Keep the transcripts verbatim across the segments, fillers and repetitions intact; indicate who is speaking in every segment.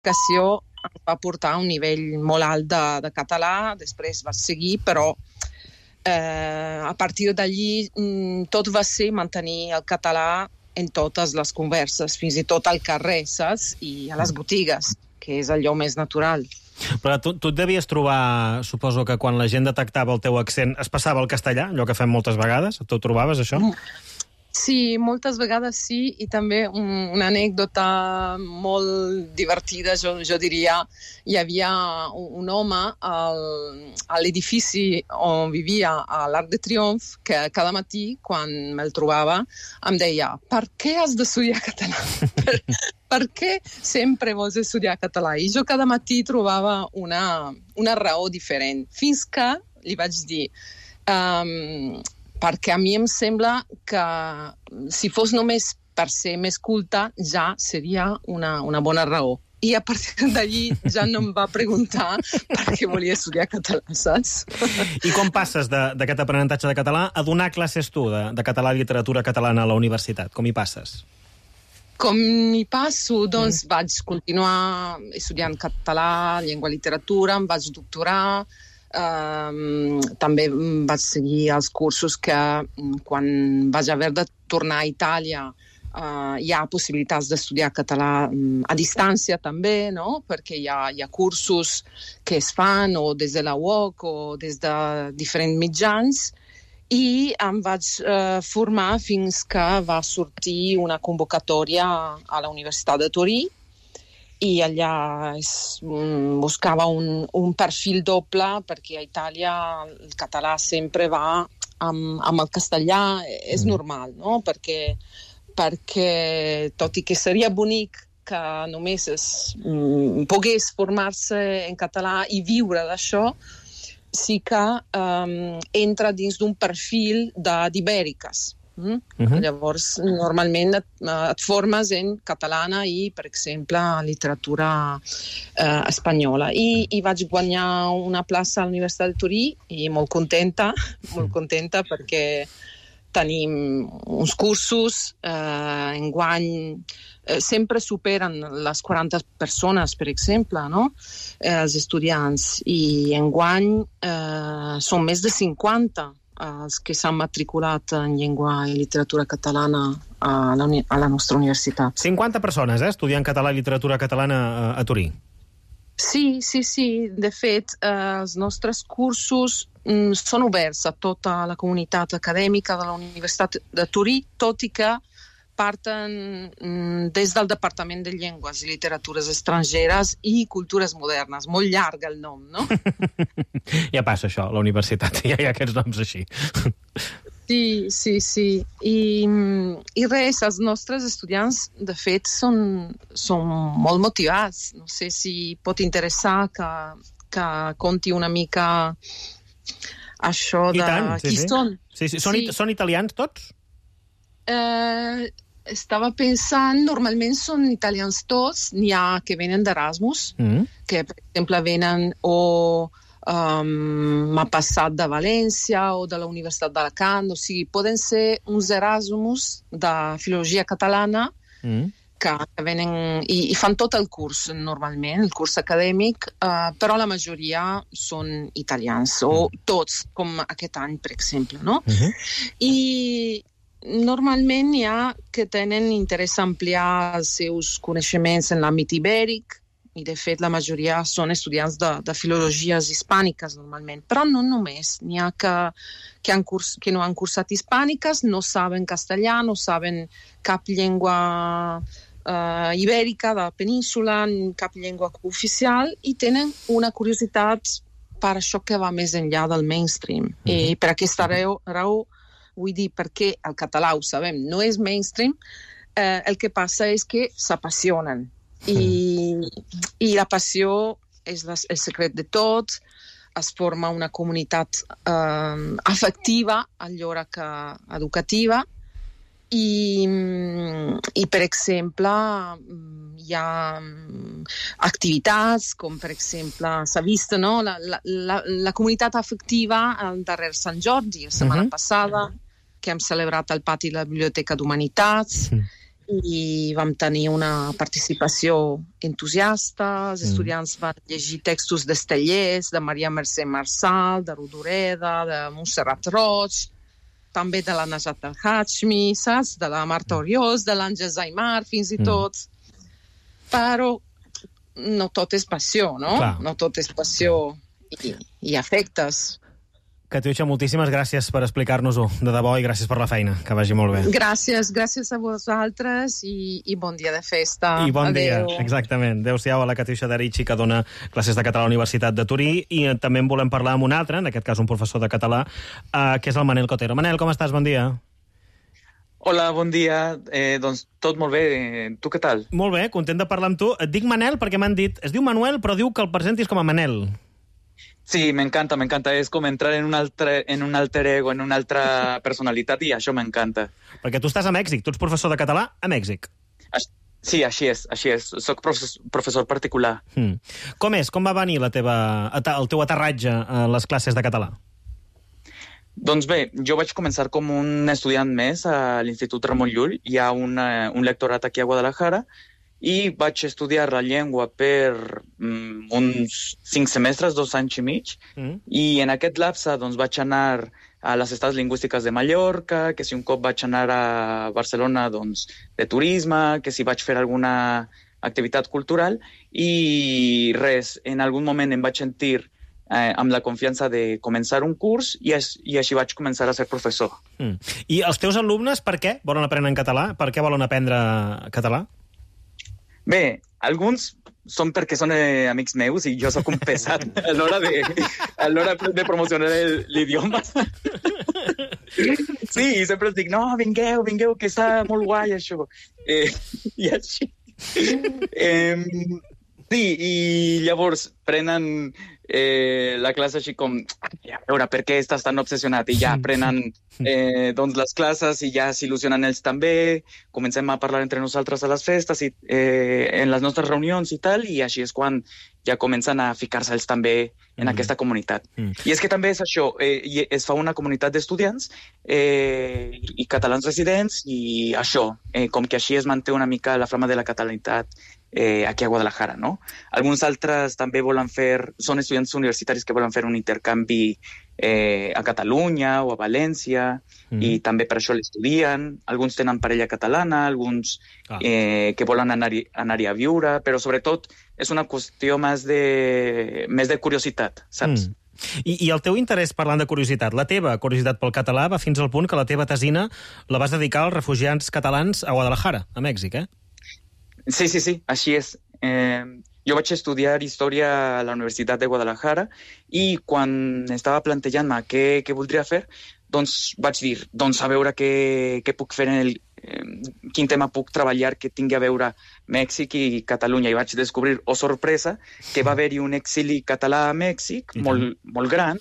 Speaker 1: l'educació em va portar a un nivell molt alt de, de català, després vaig seguir, però eh, a partir d'allí tot va ser mantenir el català en totes les converses, fins i tot al carrer, saps? I a les botigues, que és allò més natural.
Speaker 2: Però tu, tu et devies trobar, suposo que quan la gent detectava el teu accent es passava al castellà, allò que fem moltes vegades? Tu trobaves això?
Speaker 1: Sí, moltes vegades sí, i també un, una anècdota molt divertida, jo, jo diria. Hi havia un, un home al, a l'edifici on vivia a l'Arc de Triomf que cada matí, quan me'l trobava, em deia: per què has d'estudiar català? per, per què sempre vols estudiar català? I jo cada matí trobava una, una raó diferent, fins que li vaig dir... Um, perquè a mi em sembla que si fos només per ser més culta ja seria una, una bona raó. I a partir d'allí ja no em va preguntar per què volia estudiar català, saps?
Speaker 2: I com passes d'aquest aprenentatge de català a donar classes tu de, de català i literatura catalana a la universitat? Com hi passes?
Speaker 1: Com hi passo? Doncs mm. vaig continuar estudiant català, llengua i literatura, em vaig doctorar. Um, també vaig seguir els cursos que quan vaig haver de tornar a Itàlia uh, hi ha possibilitats d'estudiar català um, a distància també, no? Perquè hi ha, hi ha cursos que es fan o des de la U O C o des de diferents mitjans, i em vaig uh, formar fins que va sortir una convocatòria a la Universitat de Torí, i allà es, um, buscava un, un perfil doble, perquè a Itàlia el català sempre va amb, amb el castellà, és normal, no? Perquè, perquè tot i que seria bonic que només es um, pogués formar-se en català i viure d'això, sí que um, entra dins d'un perfil d'ibèriques. Mm? Uh-huh. Llavors, normalment et, et formes en catalana i, per exemple, literatura eh, espanyola. I, I vaig guanyar una plaça a la Universitat de Torí i molt contenta, molt contenta perquè tenim uns cursos, eh, enguany eh, sempre superen les quaranta persones, per exemple, no? eh, els estudiants, i enguany eh, són més de cinquanta els que s'han matriculat en llengua i literatura catalana a la, a la nostra universitat.
Speaker 2: cinquanta persones, eh, estudiant català i literatura catalana a, a Torí.
Speaker 1: Sí, sí, sí. De fet, eh, els nostres cursos mm, són oberts a tota la comunitat acadèmica de la Universitat de Torí, tot i que parten mm, des del Departament de Llengües i Literatures Estrangeres i Cultures Modernes. Molt llarg el nom, no?
Speaker 2: Ja passa això, a la universitat, ja hi ha aquests noms així.
Speaker 1: Sí, sí, sí. I, i res, els nostres estudiants, de fet, són, són molt motivats. No sé si pot interessar que, que conti una mica això de...
Speaker 2: I tant, sí,
Speaker 1: qui
Speaker 2: sí.
Speaker 1: són.
Speaker 2: Sí, sí. Són,
Speaker 1: sí.
Speaker 2: It són italians tots?
Speaker 1: Eh, estava pensant, normalment són italians tots, n'hi ha que venen d'Erasmus, mm. que per exemple venen o um, m'ha passat de València o de la Universitat d'Alacant, o sigui, poden ser uns Erasmus de filologia catalana mm. que, que venen i, i fan tot el curs normalment, el curs acadèmic, uh, però la majoria són italians, o mm. tots, com aquest any, per exemple, no? Mm-hmm. I normalment hi ha que tenen interès a ampliar els seus coneixements en l'àmbit ibèric, i de fet la majoria són estudiants de, de filologies hispàniques normalment, però no només. N'hi ha que, que, han curs, que no han cursat hispàniques, no saben castellà, no saben cap llengua uh, ibèrica de la península, cap llengua oficial, i tenen una curiositat per això que va més enllà del mainstream. Mm-hmm. I per aquesta raó, raó vull dir, perquè el català, ho sabem, no és mainstream, eh, el que passa és que s'apassionen. I, i la passió és la, el secret de tot, es forma una comunitat eh, afectiva, alhora que educativa, i, i per exemple, hi ha activitats, com per exemple, s'ha vist, no? la, la, la, la comunitat afectiva al darrer Sant Jordi, la setmana uh-huh. passada, que hem celebrat al pati de la Biblioteca d'Humanitats, uh-huh. i vam tenir una participació entusiasta. Els
Speaker 2: Mm.
Speaker 1: estudiants van llegir textos d'Estellers, de Maria Mercè Marçal, de Rodoreda, de Montserrat Roig, també de la Najat El-Hashmi, saps? De la Marta Oriós, de l'Àngels Aymar, fins i
Speaker 2: Mm.
Speaker 1: tot. Però no tot és passió, no?
Speaker 2: Clar.
Speaker 1: No tot és passió i, i afectes.
Speaker 2: Catiuxa, moltíssimes gràcies per explicar-nos-ho, de debò, i gràcies per la feina. Que vagi molt bé.
Speaker 1: Gràcies, gràcies a vosaltres i, i bon dia de festa.
Speaker 2: I bon
Speaker 1: Adeu.
Speaker 2: dia, exactament. Adéu-siau a la Catiuxa Darici, que dona classes de català a la Universitat de Turí, i eh, també en volem parlar amb un altre, en aquest cas un professor de català, eh, que és el Manel Cotero. Manel, com estàs? Bon dia.
Speaker 3: Hola, bon dia. Eh, doncs tot molt bé. Eh, tu què tal?
Speaker 2: Molt bé, content de parlar amb tu. Et dic Manel perquè m'han dit... Es diu Manuel, però diu que el presentis com a Manel.
Speaker 3: Sí, m'encanta, m'encanta. És com entrar en un altre, en un alter ego, en una altra personalitat, i això m'encanta.
Speaker 2: Perquè tu estàs a Mèxic, tu ets professor de català a Mèxic.
Speaker 3: Aix- Sí, així és, així és. Soc professor, professor particular.
Speaker 2: Mm. Com és? Com va venir la teva, el teu aterratge a les classes de català?
Speaker 3: Doncs bé, jo vaig començar com un estudiant més a l'Institut Ramon Llull. Hi ha una, un lectorat aquí a Guadalajara, i vaig estudiar la llengua per mm, uns cinc semestres, dos anys i mig,
Speaker 2: Mm.
Speaker 3: i en aquest lapse doncs, vaig anar a les Estats Lingüístiques de Mallorca, que si un cop vaig anar a Barcelona doncs, de turisme, que si vaig fer alguna activitat cultural, i res, en algun moment em vaig sentir eh, amb la confiança de començar un curs, i, es, i així vaig començar a ser professor.
Speaker 2: Mm. I els teus alumnes, per què volen aprendre en català? Per què volen aprendre català?
Speaker 3: Bé, alguns són perquè són eh, amics meus i jo sóc un pesat a l'hora de, a l'hora de promocionar el- l'idioma. Sí, i sempre els dic, no, vingueu, vingueu, que està molt guai això. Eh, I així. Eh, sí, i llavors prenen eh, la classe així com, a veure, per què estàs tan obsessionat? I ja prenen eh, doncs les classes i ja s'il·lusionen ells també, comencem a parlar entre nosaltres a les festes i eh, en les nostres reunions i tal, i així és quan ja comencen a ficar-se ells també en
Speaker 2: Mm.
Speaker 3: aquesta comunitat.
Speaker 2: Mm.
Speaker 3: I és que també és això, eh, i es fa una comunitat d'estudiants eh, i catalans residents, i això, eh, com que així es manté una mica la flama de la catalanitat eh, aquí a Guadalajara, no? Alguns altres també volen fer, són estudiants universitaris que volen fer un intercanvi eh, a Catalunya o a València,
Speaker 2: Mm.
Speaker 3: i també per això l'estudien. Alguns tenen parella catalana, alguns
Speaker 2: Ah.
Speaker 3: eh, que volen anar-hi anar-hi a viure, però sobretot és una qüestió més de, més de curiositat, saps?
Speaker 2: Mm. I, I el teu interès, parlant de curiositat, la teva curiositat pel català va fins al punt que la teva tesina la vas dedicar als refugiats catalans a Guadalajara, a Mèxic, eh?
Speaker 3: Sí, sí, sí, així és. Eh, jo vaig estudiar història a la Universitat de Guadalajara, i quan estava plantejant-me què, què voldria fer, doncs vaig dir, doncs a veure què, què puc fer en el, eh, quin tema puc treballar que tingui a veure Mèxic i Catalunya, i vaig descobrir, oh sorpresa, que va haver-hi un exili català a Mèxic
Speaker 2: I
Speaker 3: molt, molt gran,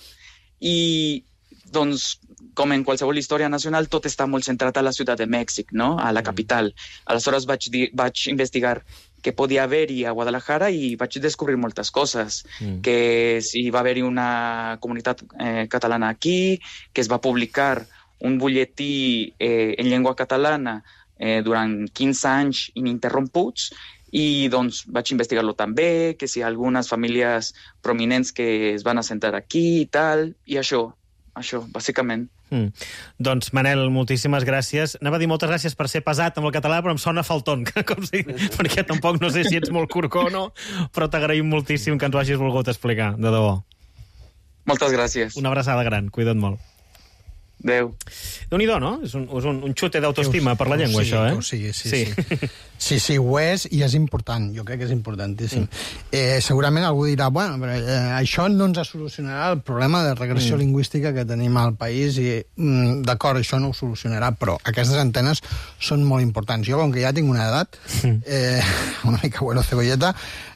Speaker 3: i doncs, com en qualsevol història nacional, tot està molt centrat a la ciutat de Mèxic, no? A la capital. Aleshores vaig, dir, vaig investigar què podia haver-hi a Guadalajara, i vaig descobrir moltes coses.
Speaker 2: Mm.
Speaker 3: Que si va haver-hi una comunitat eh, catalana aquí, que es va publicar un butlletí eh, en llengua catalana eh, durant quinze anys ininterromputs, i doncs vaig investigar-lo també, que si algunes famílies prominents que es van assentar aquí i tal, i això, això, bàsicament.
Speaker 2: Mm. Doncs, Manel, moltíssimes gràcies. Anava a dir moltes gràcies per ser pesat amb el català, però em sona falton, com si, perquè tampoc no sé si ets molt corcó o no, però t'agraïm moltíssim que ens ho hagis volgut explicar, de debò.
Speaker 3: Moltes gràcies.
Speaker 2: Una abraçada gran, cuida't molt.
Speaker 3: Adéu.
Speaker 2: Déu-n'hi-do, no? És un, és un, un xute d'autoestima per la llengua,
Speaker 4: sí,
Speaker 2: això, eh?
Speaker 4: Sí, sí, sí. Sí. sí, sí, ho és, i és important. Jo crec que és importantíssim. Mm. Eh, segurament algú dirà, bueno, però eh, això no ens solucionarà el problema de regressió mm. lingüística que tenim al país, i mm, d'acord, això no ho solucionarà, però aquestes antenes són molt importants. Jo, com que ja tinc una edat, eh, una mica bueno, cebolleta,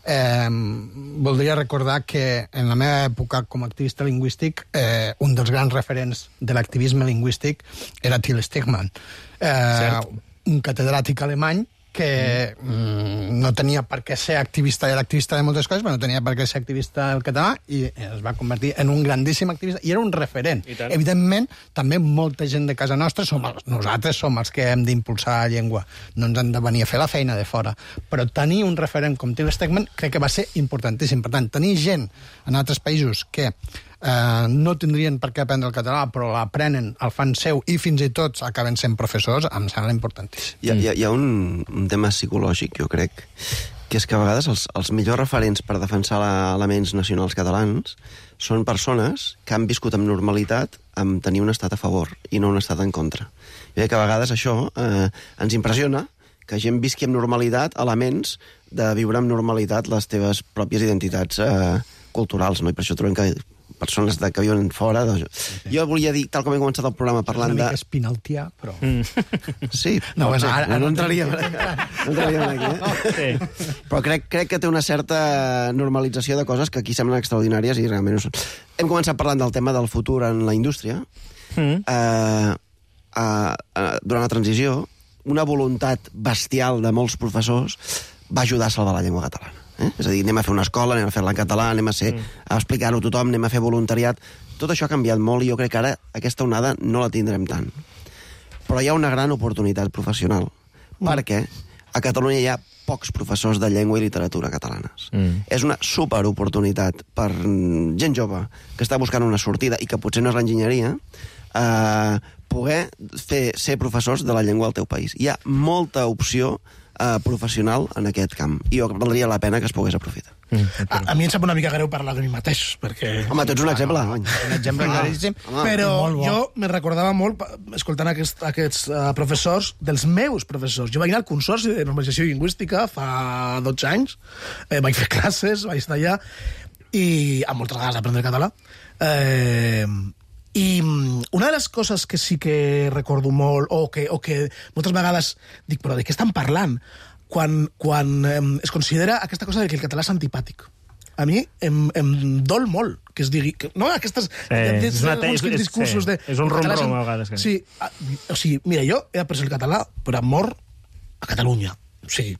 Speaker 4: eh, voldria recordar que en la meva època com a activista lingüístic, eh, un dels grans referents de l'activisme lingüístic era Till Stegmann, eh, un catedràtic alemany que mm, no tenia per què ser activista, era activista de moltes coses, però no tenia per què ser activista del català, i es va convertir en un grandíssim activista, i era un referent. Evidentment, també molta gent de casa nostra, som els, nosaltres som els que hem d'impulsar la llengua, no ens han de venir a fer la feina de fora, però tenir un referent com Till Stegmann crec que va ser importantíssim. Per tant, tenir gent en altres països que eh, no tindrien per què aprendre el català, però l'aprenen, el fan seu, i fins i tot acaben sent professors, em sembla importantíssim.
Speaker 5: Hi ha, hi ha, hi ha un, un tema psicològic, jo crec, que és que a vegades els, els millors referents per defensar la, elements nacionals catalans són persones que han viscut amb normalitat amb tenir un estat a favor i no un estat en contra. Jo crec que a vegades això eh, ens impressiona, que gent visqui amb normalitat elements de viure amb normalitat les teves pròpies identitats eh, culturals, no? I per això trobem que persones de, que viuen fora... Doncs... Sí, sí. Jo volia dir, tal com he començat el programa parlant de...
Speaker 4: És una mica espinaltià, però...
Speaker 5: Mm. Sí,
Speaker 4: no, bueno,
Speaker 5: ser.
Speaker 4: ara,
Speaker 5: no, no entraríem aquí. No entraríem aquí, eh? Sí. Però crec, crec que té una certa normalització de coses que aquí semblen extraordinàries i realment no són. Hem començat parlant del tema del futur en la indústria. Mm. Eh, eh, eh, durant la transició, una voluntat bestial de molts professors va ajudar a salvar la llengua catalana. Eh? És a dir, anem a fer una escola, anem a fer-la en català, anem a, ser, mm. a explicar-ho a tothom, anem a fer voluntariat. Tot això ha canviat molt i jo crec que ara aquesta onada no la tindrem tant. Però hi ha una gran oportunitat professional, mm. perquè a Catalunya hi ha pocs professors de llengua i literatura catalanes. Mm. És una superoportunitat per gent jove que està buscant una sortida i que potser no és l'enginyeria, eh, poder fer, ser professors de la llengua al teu país. Hi ha molta opció Uh, professional en aquest camp. I jo valdria la pena que es pogués aprofitar.
Speaker 6: Mm. A, a mi em sap una mica greu parlar de mi mateix, perquè...
Speaker 5: Home, tu ets un exemple.
Speaker 4: No, no. Un exemple claríssim.
Speaker 6: Ah, però jo me recordava molt, escoltant aquest, aquests uh, professors, dels meus professors. Jo vaig anar al Consorci de Normalització Lingüística fa dotze anys, eh, vaig fer classes, vaig estar allà, i amb moltes ganes d'aprendre català. Eh... I una de les coses que sí que recordo molt, o que, o que moltes vegades dic, però de què estan parlant? Quan, quan eh, es considera aquesta cosa de que el català és antipàtic. A mi em, em dol molt que es digui... Que, no, aquestes...
Speaker 2: Sí, és, una te, és,
Speaker 6: discursos
Speaker 2: sí,
Speaker 6: de...
Speaker 2: és un rom-rom a vegades. Que...
Speaker 6: Sí, a, o sigui, mira, jo he après el català per amor a Catalunya. O sigui,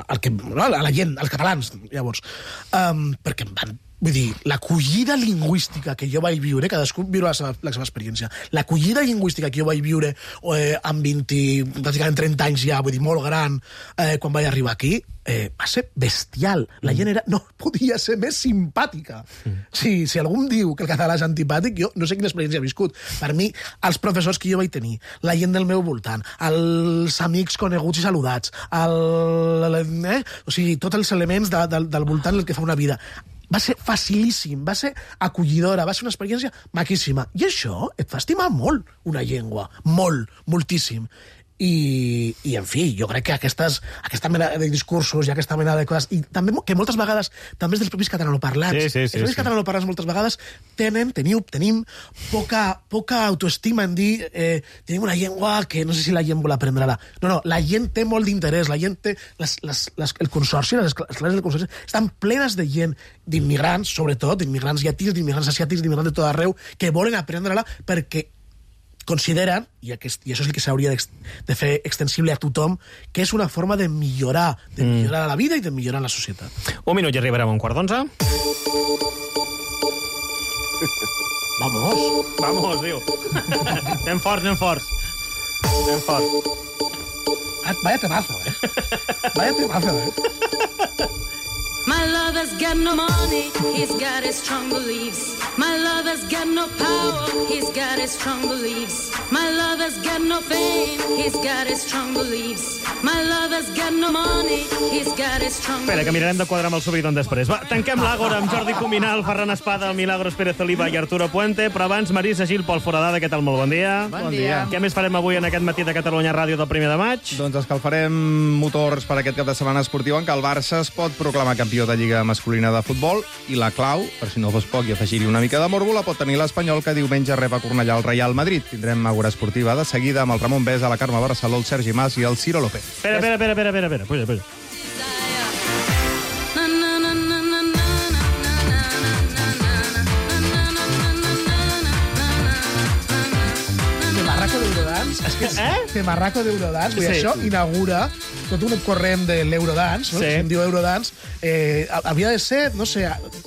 Speaker 6: al que, no, a la gent, als catalans, llavors. Um, perquè em van... Vull dir, l'acollida lingüística que jo vaig viure, cadascú viure la seva, la seva experiència, l'acollida lingüística que jo vaig viure eh, amb vint, pràcticament trenta anys ja, vull dir, molt gran, eh, quan vaig arribar aquí, eh, va ser bestial. La gent era, no podia ser més simpàtica. Mm. Sí, si algú em diu que el català és antipàtic, jo no sé quina experiència he viscut. Per mi, els professors que jo vaig tenir, la gent del meu voltant, els amics coneguts i saludats, el, eh, o sigui, tots els elements de, de, del voltant del que fa una vida, va ser facilíssim, va ser acollidora, va ser una experiència maquíssima. I això et fa estimar molt una llengua, molt, moltíssim. I, i en fi, jo crec que aquestes, aquesta mena de discursos i aquesta mena de coses, i també que moltes vegades, també és dels propis catalanoparlants,
Speaker 2: sí, sí, sí,
Speaker 6: els propis sí. catalanoparlants moltes vegades tenen, teniu, tenim poca, poca autoestima en dir eh, tenim una llengua que no sé si la gent vol aprendre-la. No, no, la gent té molt d'interès, la gent té... Les, les, les, el consorci, les, les classes del consorci estan plenes de gent, d'immigrants, sobretot, d'immigrants llatins, d'immigrants asiàtics, d'immigrants de tot arreu, que volen aprendre-la perquè consideren, i, aquest, i això és el que s'hauria de fer extensible a tothom, que és una forma de millorar, de millorar mm. la vida i de millorar la societat.
Speaker 2: Un minut i arribarem a un quart d'onze.
Speaker 6: Vamos.
Speaker 2: Vamos, diu. Anem forts, anem forts. Anem forts.
Speaker 6: Ah, vaya temazo, eh? Vaya temazo, eh?
Speaker 7: My lover's got no money, he's got his strong beliefs. My lover's got no power, he's got his strong beliefs. My lover's got no fame, he's got his strong beliefs. My lover's got no money, he's got his strong beliefs.
Speaker 2: Espera, que mirarem de quadrar amb el Subidon després. Va, tanquem l'Àgora amb Jordi Cuminal, Ferran Espada, Milagros Pérez Oliva i Arturo Puente, però abans Marisa Gil, Pol Foradada, què tal? Molt bon dia.
Speaker 8: Bon dia.
Speaker 2: Què més farem avui en aquest matí de Catalunya Ràdio del primer de maig?
Speaker 8: Doncs escalfarem motors per aquest cap de setmana esportiu en què el Barça es pot proclamar campió de Lliga masculina de futbol i la clau, per si no fos poc i afegir-hi una mica de morbo, la pot tenir l'Espanyol, que diumenge rep a Cornellà el Real Madrid. Tindrem Àgora esportiva de seguida amb el Ramon Besa, la Carme Barceló, el Sergi Mas i el Ciro López.
Speaker 2: Espera, espera, espera, espera, espera, puja, puja.
Speaker 6: Temarraco d'Eurodance, és que és eh? Temarraco d'Eurodance, vull dir,
Speaker 2: Sí.
Speaker 6: això inaugura tot un corrent de l'Eurodance, no?
Speaker 2: Sí.
Speaker 6: Que se'n diu Eurodance, eh, havia de ser, no sé,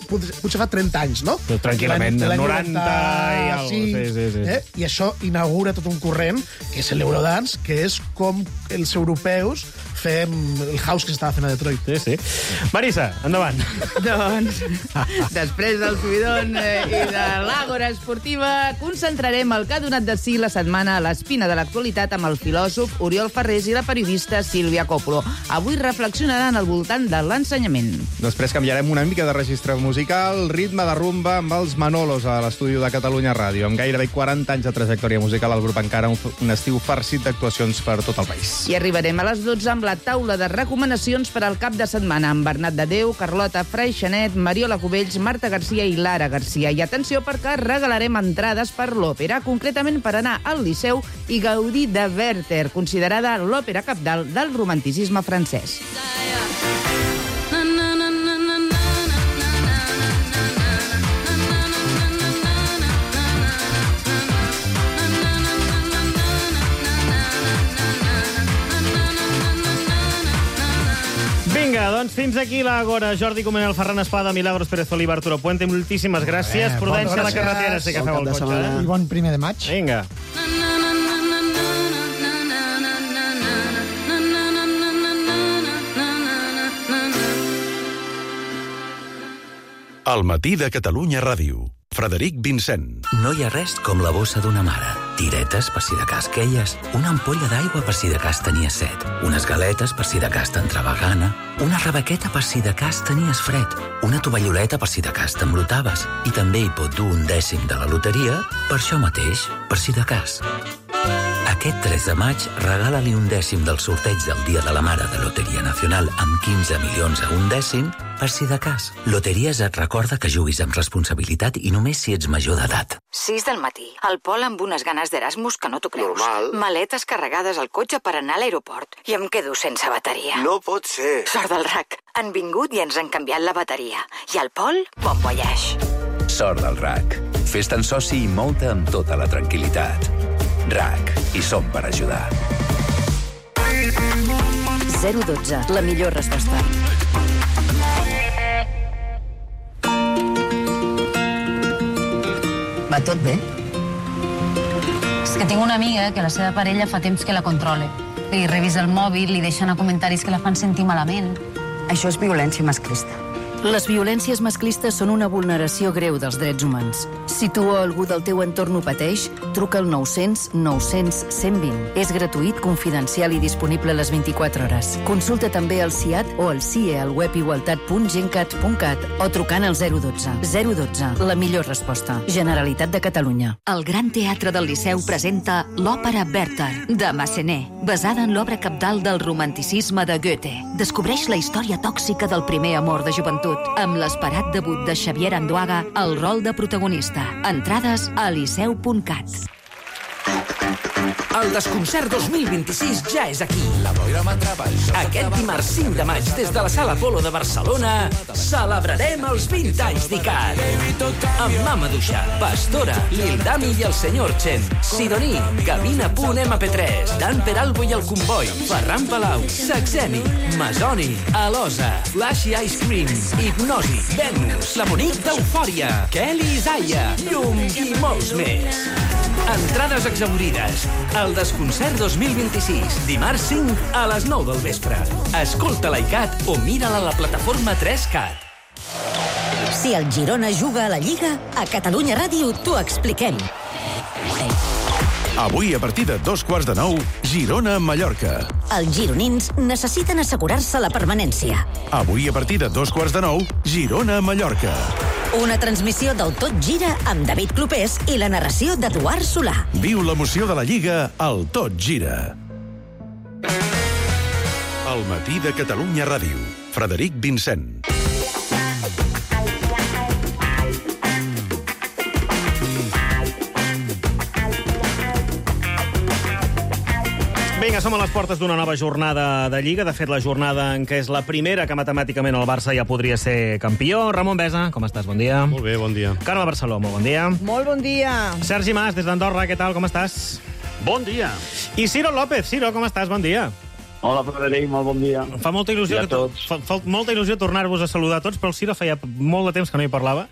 Speaker 6: potser, potser fa trenta anys, no?
Speaker 2: Però tranquil·lament,
Speaker 6: L'any- l'any
Speaker 2: noranta i alguna cosa, sí, sí, sí.
Speaker 6: Eh? I això inaugura tot un corrent, que és l'Eurodance, que és com els europeus fem el house que s'estava fent a Detroit.
Speaker 2: Sí, sí. Marisa, endavant.
Speaker 9: Doncs, després del subidon eh, i de l'àgora esportiva, concentrarem el que ha donat de si la setmana a l'espina de l'actualitat amb el filòsof Oriol Ferrés i la periodista Sílvia Coppolo. Avui reflexionaran al voltant de l'ensenyament.
Speaker 8: Després canviarem una mica de registre musical, ritme de rumba amb els Manolos a l'estudi de Catalunya Ràdio. Amb gairebé quaranta anys de trajectòria musical, el grup encara un, un estiu farcit d'actuacions per tot el país.
Speaker 9: I arribarem a les dotze amb la taula de recomanacions per al cap de setmana amb Bernat de Déu, Carlota Freixanet, Mariola Cubells, Marta Garcia i Lara Garcia. I atenció perquè regalarem entrades per l'òpera, concretament per anar al Liceu i gaudir de Werther, considerada l'òpera cabdal del romanticisme francès.
Speaker 2: Vinga, doncs fins aquí l'Àgora. Jordi Comenel, Ferran Espada, Milagros Pérez Oliva, Arturo Puente, moltíssimes gràcies.
Speaker 4: Eh,
Speaker 2: Prudència a la
Speaker 4: gràcies.
Speaker 2: carretera, sé que
Speaker 5: Bon
Speaker 2: feu
Speaker 5: cap
Speaker 2: el
Speaker 5: de
Speaker 2: cotxe.
Speaker 5: setmana.
Speaker 2: Eh?
Speaker 4: I bon primer de maig.
Speaker 2: Vinga.
Speaker 10: El matí de Catalunya Ràdio. Frederic Vincent.
Speaker 11: No hi ha res com la bossa d'una mare. Tiretes per si de cas queies, una ampolla d'aigua per si de cas tenies set, unes galetes per si de cas t'entrava gana, una rebequeta per si de cas tenies fred, una tovalloleta per si de cas t'embrotaves, i també hi pot dur un dècim de la loteria per això mateix, per si de cas. Aquest tres de maig, regala-li un dècim del sorteig del Dia de la Mare de Loteria Nacional amb quinze milions a un dècim, per si de cas. Loteries et recorda que juguis amb responsabilitat i només si ets major d'edat.
Speaker 12: sis del matí. El Pol amb unes ganes d'Erasmus que no t'ho creus.
Speaker 13: Normal.
Speaker 12: Maletes carregades al cotxe per anar a l'aeroport. I em quedo sense bateria.
Speaker 13: No pot ser.
Speaker 12: Sort del R A C. Han vingut i ens han canviat la bateria. I el Pol, bon voyage.
Speaker 14: Sort del R A C. Fes-te'n soci i mou-te amb tota la tranquil·litat. R A C. Hi som per ajudar.
Speaker 12: zero dotze. La millor resposta.
Speaker 15: Va tot bé? És que tinc una amiga que la seva parella fa temps que la controla. Li revisa el mòbil, li deixa anar comentaris que la fan sentir malament.
Speaker 12: Això és violència masclista.
Speaker 16: Les violències masclistes són una vulneració greu dels drets humans. Si tu o algú del teu entorn ho pateix, truca al nou cents nou cents cent vint. És gratuït, confidencial i disponible a les vint-i-quatre hores. Consulta també el C I A T o el C I E al web igualtat punt gencat punt cat o trucant al zero dotze. zero dotze, la millor resposta. Generalitat de Catalunya.
Speaker 17: El Gran Teatre del Liceu presenta l'òpera Werther, de Massenet, basada en l'obra cabdal del romanticisme de Goethe. Descobreix la història tòxica del primer amor de joventut, amb l'esperat debut de Xavier Andoaga al rol de protagonista. Entrades a liceu punt cat.
Speaker 18: El Desconcert dos mil vint-i-sis ja és aquí. Aquest dimarts cinc de maig, des de la Sala Apolo de Barcelona, celebrarem els vint anys d'I C A D. Amb Mama Duixa, Pastora, Lil Dami i el senyor Chen, Sidoní, Gavina punt ema pe tres, Dan Peralbo i el Comboi, Ferran Palau, Saxeni, Masoni, Alosa, Flashy Ice Cream, Hipnosi, Venus, la Monique d'Eufòria, Kelly Isaiah, Llum i molts més. Entrades exaurides. El Desconcert dos mil vint-i-sis, dimarts cinc a les nou del vespre. Escolta l'I C A D o mira-la a la plataforma tres cat.
Speaker 19: Si el Girona juga a la Lliga, a Catalunya Ràdio t'ho expliquem.
Speaker 10: Avui, a partir de dos quarts de nou, Girona-Mallorca.
Speaker 19: Els gironins necessiten assegurar-se la permanència.
Speaker 10: Avui, a partir de dos quarts de nou, Girona-Mallorca.
Speaker 19: Una transmissió del Tot Gira amb David Clopés i la narració d'Eduard Solà.
Speaker 10: Viu l'emoció de la Lliga al Tot Gira. El matí de Catalunya Ràdio. Frederic Vincent.
Speaker 2: Vinga, som a les portes d'una nova jornada de Lliga. De fet, la jornada en què és la primera que matemàticament el Barça ja podria ser campió. Ramon Besa, com estàs? Bon dia.
Speaker 20: Molt bé, bon dia.
Speaker 2: Carme Barceló, molt bon dia.
Speaker 21: Molt bon dia.
Speaker 2: Sergi Mas, des d'Andorra, què tal? Com estàs?
Speaker 20: Bon dia.
Speaker 2: I Ciro López. Ciro, com estàs? Bon dia.
Speaker 13: Hola, Frederic, molt bon dia.
Speaker 2: Fa molta il·lusió,
Speaker 13: I a
Speaker 2: que to-
Speaker 13: tots.
Speaker 2: fa, fa molta il·lusió tornar-vos a saludar a tots, però el Ciro feia molt de temps que no hi parlava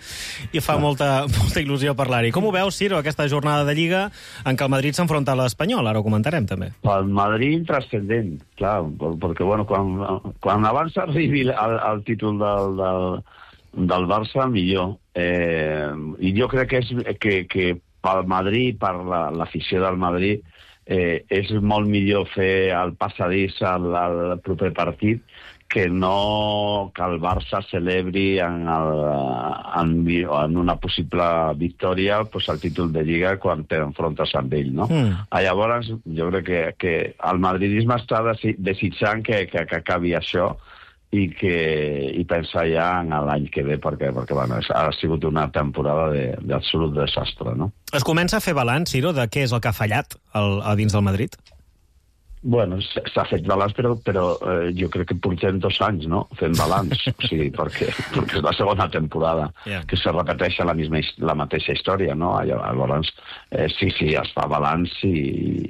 Speaker 2: i fa molta, molta il·lusió parlar-hi. Com ho veus, Ciro, aquesta jornada de Lliga en què el Madrid s'enfronta a l'Espanyol? Ara ho comentarem, també.
Speaker 13: Pel Madrid, transcendent, clar, perquè, bueno, quan, quan abans arribi el, el títol del, del, del Barça, millor. Eh, I jo crec que, és, que, que pel Madrid, per la, l'afició del Madrid, eh, és molt millor fer el passadís al, al proper partit que no que el Barça celebri en, el, en, en una possible victòria pues, el títol de Lliga quan t'enfrontes amb ell, no? Mm. Llavors, jo crec que, que el madridisme està desi, desitjant que, que, que acabi això i que i pensar ja en l'any que ve, perquè, perquè bueno, ha sigut una temporada d'absolut de, desastre, no?
Speaker 2: Es comença a fer balanç, Ciro, de què és el que ha fallat al, a dins del Madrid?
Speaker 13: Bueno, s'ha fet balanç, però, però eh, jo crec que portem dos anys, no?, fent balanç, o sigui, perquè, perquè és la segona temporada yeah. que se repeteix la, misma, la mateixa història, no? Llavors, eh, sí, sí, es fa balanç i,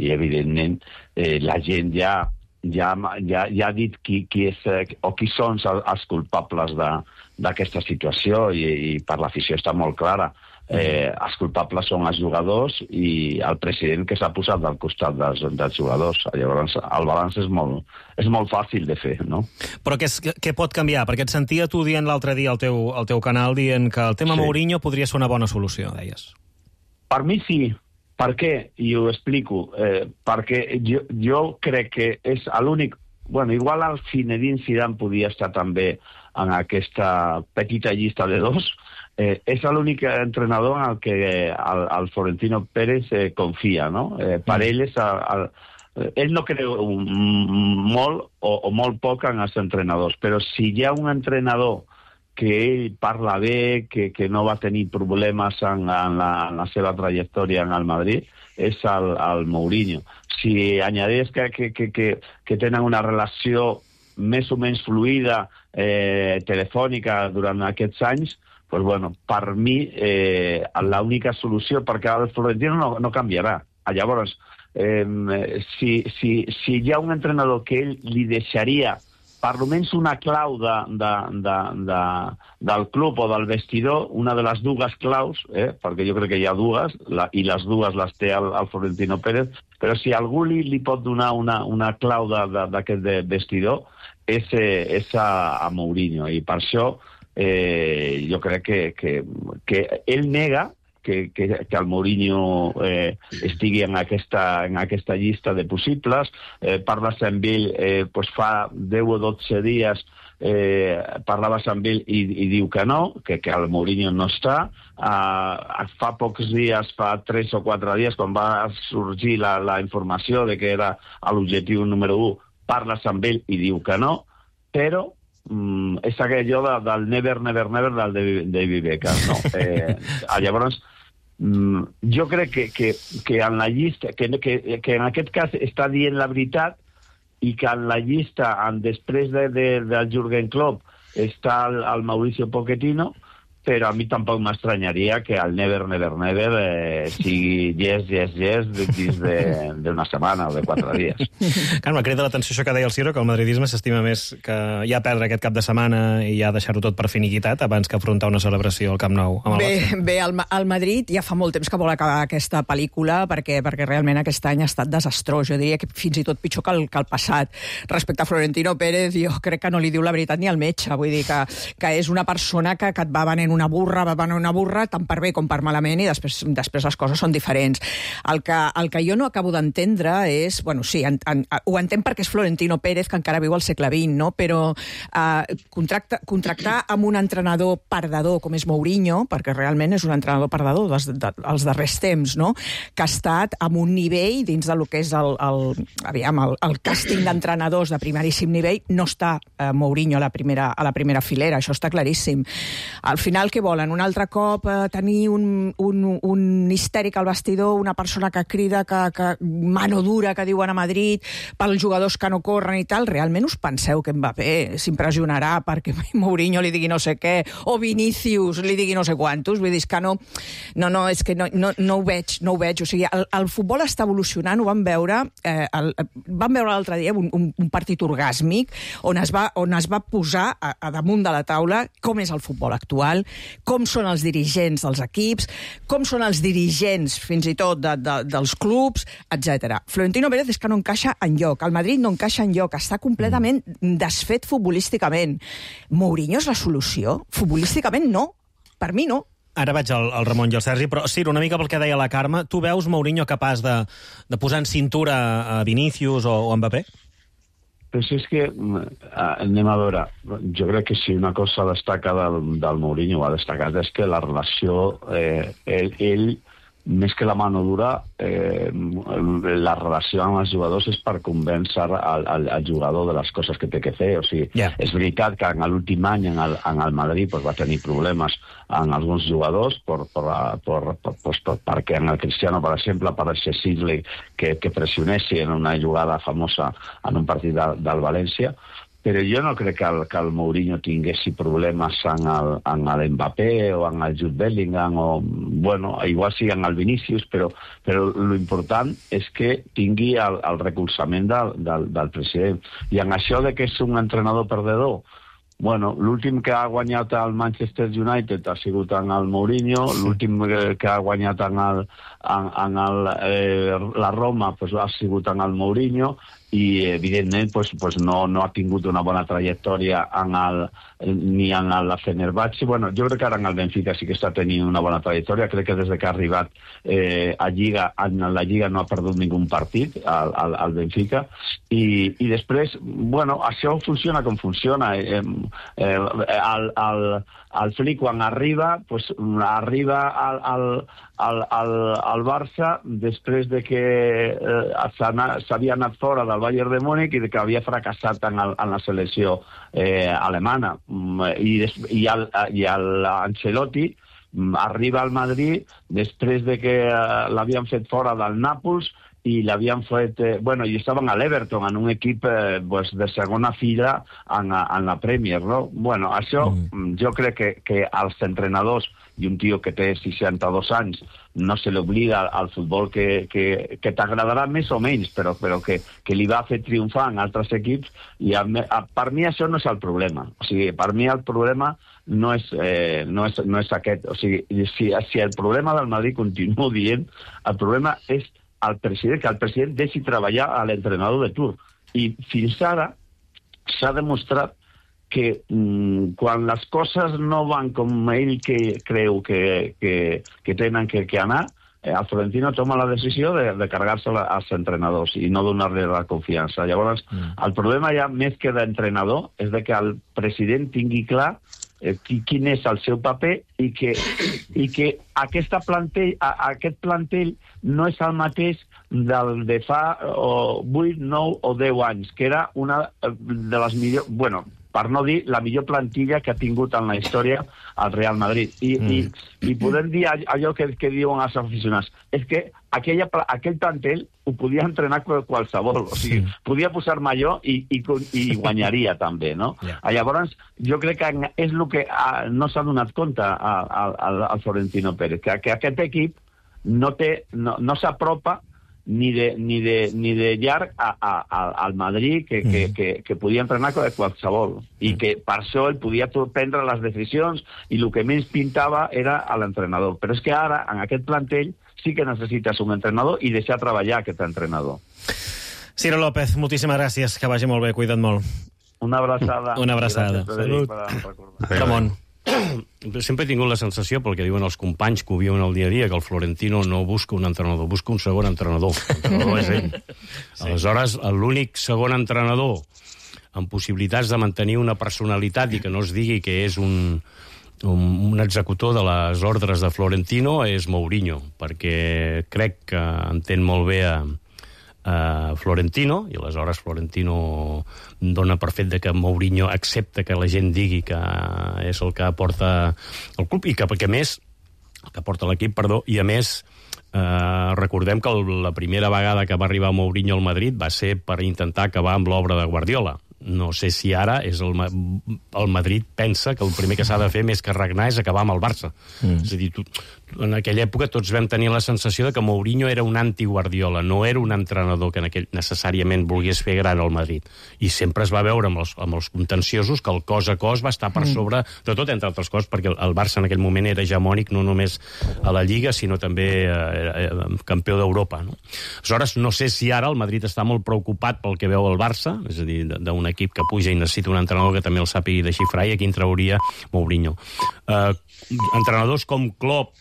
Speaker 13: i evidentment, eh, la gent ja ja, ja, ja ha dit qui, qui és, o qui són els culpables d'aquesta situació i, i per l'afició està molt clara. Eh, els culpables són els jugadors i el president que s'ha posat al costat dels, dels jugadors. Llavors, el balanç és molt, és molt fàcil de fer, no?
Speaker 2: Però què, és, què pot canviar? Perquè et sentia tu dient l'altre dia al teu, al teu canal dient que el tema sí. Mourinho podria ser una bona solució, deies.
Speaker 13: Per mi sí. Per què? I ho explico. Eh, perquè jo, jo crec que és l'únic... Bueno, igual el Zinedine Zidane podia estar també en aquesta petita llista de dos. Eh, és l'únic entrenador en el que el, el Florentino Pérez eh, confia, no? Eh, per ell és... El, el, ell no creu molt o, o molt poc en els entrenadors, però si hi ha un entrenador que ell parla bé, que, que no va tenir problemes en, en, la, en la seva trajectòria en el Madrid, és el, el Mourinho. Si añadeix que, que, que, que, que tenen una relació més o menys fluida, eh, telefònica durant aquests anys, pues bueno, per mi eh, l'única solució, perquè el Florentino no, no canviarà. Llavors, eh, si, si, si hi ha un entrenador que ell li deixaria per almenys una clau de, de, de, de, del club o del vestidor, una de les dues claus, eh, perquè jo crec que hi ha dues, la, i les dues les té el, el Florentino Pérez, però si algú li, li pot donar una, una clau d'aquest vestidor, és, és a, a Mourinho. I per això eh, jo crec que, que, que ell nega que, que, que el Mourinho eh, estigui en aquesta, en aquesta llista de possibles. Eh, parles amb ell, eh, pues fa deu o dotze dies eh, parlaves amb ell i, i diu que no, que, que el Mourinho no està. Uh, fa pocs dies, fa tres o quatre dies, quan va sorgir la, la informació de que era l'objectiu número u, parles amb ell i diu que no, però Mm, és aquell allò de, del never, never, never del David Beckham, no? Eh, llavors, mm, jo crec que, que, que en la llista, que, que, que en aquest cas està dient la veritat i que en la llista, en, després de, de, del Jürgen Klopp, està el, el Mauricio Pochettino, però a mi tampoc m'estranyaria que el never, never, never eh, sigui yes, yes, yes dins d'una setmana o de quatre dies.
Speaker 2: Carme, crida l'atenció això que deia el Ciro, que el madridisme s'estima més que ja perdre aquest cap de setmana i ja deixar-ho tot per finiquitat abans que afrontar una celebració al Camp Nou. Amb el
Speaker 20: bé, bé el, el Madrid ja fa molt temps que vol acabar aquesta pel·lícula perquè, perquè realment aquest any ha estat desastrós. Jo diria que fins i tot pitjor que el, que el passat. Respecte a Florentino Pérez, jo crec que no li diu la veritat ni al metge. Vull dir que, que és una persona que, que et va venent una burra, va venent una burra, tant per bé com per malament, i després, després les coses són diferents. El que, el que jo no acabo d'entendre és... Bueno, sí, en, en, ho entenc perquè és Florentino Pérez, que encara viu al segle vint, no? Però eh, contracta, contractar amb un entrenador perdedor com és Mourinho, perquè realment és un entrenador perdedor dels, de, dels darrers temps, no? Que ha estat amb un nivell dins del que és el, el, aviam, el, el càsting d'entrenadors de primeríssim nivell, no està eh, Mourinho a la, primera, a la primera filera, això està claríssim. Al final final què volen? Un altre cop eh, tenir un, un, un histèric al vestidor, una persona que crida, que, que mano dura, que diuen a Madrid, pels jugadors que no corren i tal. Realment us penseu que Mbappé s'impressionarà perquè Mourinho li digui no sé què, o Vinícius li digui no sé quantos? Vull dir, és que no, no, no, és que no, no, no ho veig, no ho veig. O sigui, el, el futbol està evolucionant, ho vam veure, eh, el, vam veure l'altre dia un, un, un partit orgàsmic on es va, on es va posar a, a damunt de la taula com és el futbol actual, com són els dirigents dels equips, com són els dirigents, fins i tot, de, de, dels clubs, etcètera. Florentino Pérez és que no encaixa enlloc. El Madrid no encaixa enlloc. Està completament desfet futbolísticament. Mourinho és la solució? Futbolísticament no. Per mi no.
Speaker 2: Ara vaig al, al Ramon i al Sergi, però Ciro, una mica pel que deia la Carme, tu veus Mourinho capaç de, de posar en cintura a Vinícius o, o Mbappé?
Speaker 13: Però és que, anem a veure, jo crec que si una cosa destaca del, del Mourinho, ha destacat, és que la relació, eh, ell, ell, més que la mano dura, eh, la relació amb els jugadors és per convèncer al, al, al jugador de les coses que té que fer. O sigui, yeah. És veritat que en l'últim any en el, en el Madrid pues, va tenir problemes en alguns jugadors per, per, per, per, per, per, perquè en el Cristiano, per exemple, pareixia Sidley que, que pressionessi en una jugada famosa en un partit de, del València. Però jo no crec que el, que el Mourinho tinguessi problemes en el, en el Mbappé o en el Jude Bellingham, o, bueno, igual sí en el Vinícius, però, però l'important és que tingui el, el recolzament del, del, del president. I en això de que és un entrenador perdedor, bueno, l'últim que ha guanyat el Manchester United ha sigut en el Mourinho, l'últim que ha guanyat en, el, en, en el, eh, la Roma pues, ha sigut en el Mourinho, i evidentment pues, pues no, no ha tingut una bona trajectòria en el, ni en la Fenerbahçe. Bueno, jo crec que ara en el Benfica sí que està tenint una bona trajectòria. Crec que des que ha arribat eh, a Lliga, en la Lliga no ha perdut ningú partit al, al, al Benfica. I, i després, bueno, això funciona com funciona. Eh, eh, el, el, el Flick, quan arriba, pues, arriba al, al, al, al, al Barça després de que eh, s'havia anat fora del Bayern de Múnich i que havia fracassat en, el, en la selecció eh, alemana. I, des, i, el, i el Ancelotti arriba al Madrid després de que eh, l'havien fet fora del Nàpols i l'havien fet... Eh, bueno, i estaven a l'Everton, en un equip eh, pues, de segona fila en, en la Premier, no? Bueno, això mm. jo crec que, que als entrenadors, i un tio que té seixanta-dos anys, no se l'oblida al futbol que, que, que t'agradarà més o menys, però, però que, que li va fer triomfar en altres equips, i a, a, per mi això no és el problema. O sigui, per mi el problema no és, eh, no és, no és aquest. O sigui, si, si el problema del Madrid, continuo dient, el problema és el president, que el president deixi treballar a l'entrenador de tur. I fins ara s'ha demostrat que mm, quan les coses no van com ell que creu que, que, que tenen que, que anar, eh, el Florentino toma la decisió de, de carregar-se als entrenadors i no donar-li la confiança. Llavors, mm. el problema ja més que d'entrenador és de que el president tingui clar eh, quin és el seu paper i que, i que aquesta plantell, a, aquest plantell no és el mateix del de fa o, vuit, nou o deu anys, que era una de les millors... Bueno, per no dir la millor plantilla que ha tingut en la història el Real Madrid. I, mm. i, i podem dir allò que, que diuen els aficionats. És que aquella, aquell plantel ho podia entrenar qualsevol. O sigui, sí. Podia posar millor i, i, i guanyaria també, no? Yeah. Llavors, jo crec que és el que no s'ha donat compte al Florentino Pérez, que, que aquest equip no, té, no, no s'apropa ni de, ni de, ni de llarg a, a, a, al Madrid, que, que, que, que podia entrenar qualsevol, i que per això ell podia prendre les decisions, i el que menys pintava era a l'entrenador. Però és que ara, en aquest plantell, sí que necessites un entrenador i deixar treballar aquest entrenador.
Speaker 2: Ciro López, moltíssimes gràcies, que vagi molt bé, cuida't molt.
Speaker 13: Una abraçada.
Speaker 2: Una abraçada.
Speaker 13: Salut.
Speaker 2: Ramon.
Speaker 21: Sempre he tingut la sensació, pel que diuen els companys que ho viuen el dia a dia, que el Florentino no busca un entrenador, busca un segon entrenador. L'entrenador és ell. Sí. Aleshores, l'únic segon entrenador amb possibilitats de mantenir una personalitat i que no es digui que és un, un, un executor de les ordres de Florentino és Mourinho, perquè crec que entén molt bé a, Uh, Florentino, i aleshores Florentino dona per fet de que Mourinho accepta que la gent digui que és el que porta el club i que, perquè a més el que porta l'equip, perdó, i a més uh, recordem que el, la primera vegada que va arribar Mourinho al Madrid va ser per intentar acabar amb l'obra de Guardiola. No sé si ara és el, el Madrid pensa que el primer que s'ha de fer més que regnar és acabar amb el Barça. Mm. És a dir, tu, en aquella època tots vam tenir la sensació de que Mourinho era un anti-Guardiola, no era un entrenador que en aquell necessàriament volgués fer gran al Madrid. I sempre es va veure amb els, amb els contenciosos que el cos a cos va estar per sobre, de tot entre altres coses, perquè el Barça en aquell moment era hegemònic no només a la Lliga, sinó també eh, campió d'Europa. No? Aleshores, no sé si ara el Madrid està molt preocupat pel que veu el Barça, és a dir, d'un equip que puja i necessita un entrenador que també el sàpigui desxifrar, i aquí en trauria Mourinho. Uh, entrenadors com Klopp,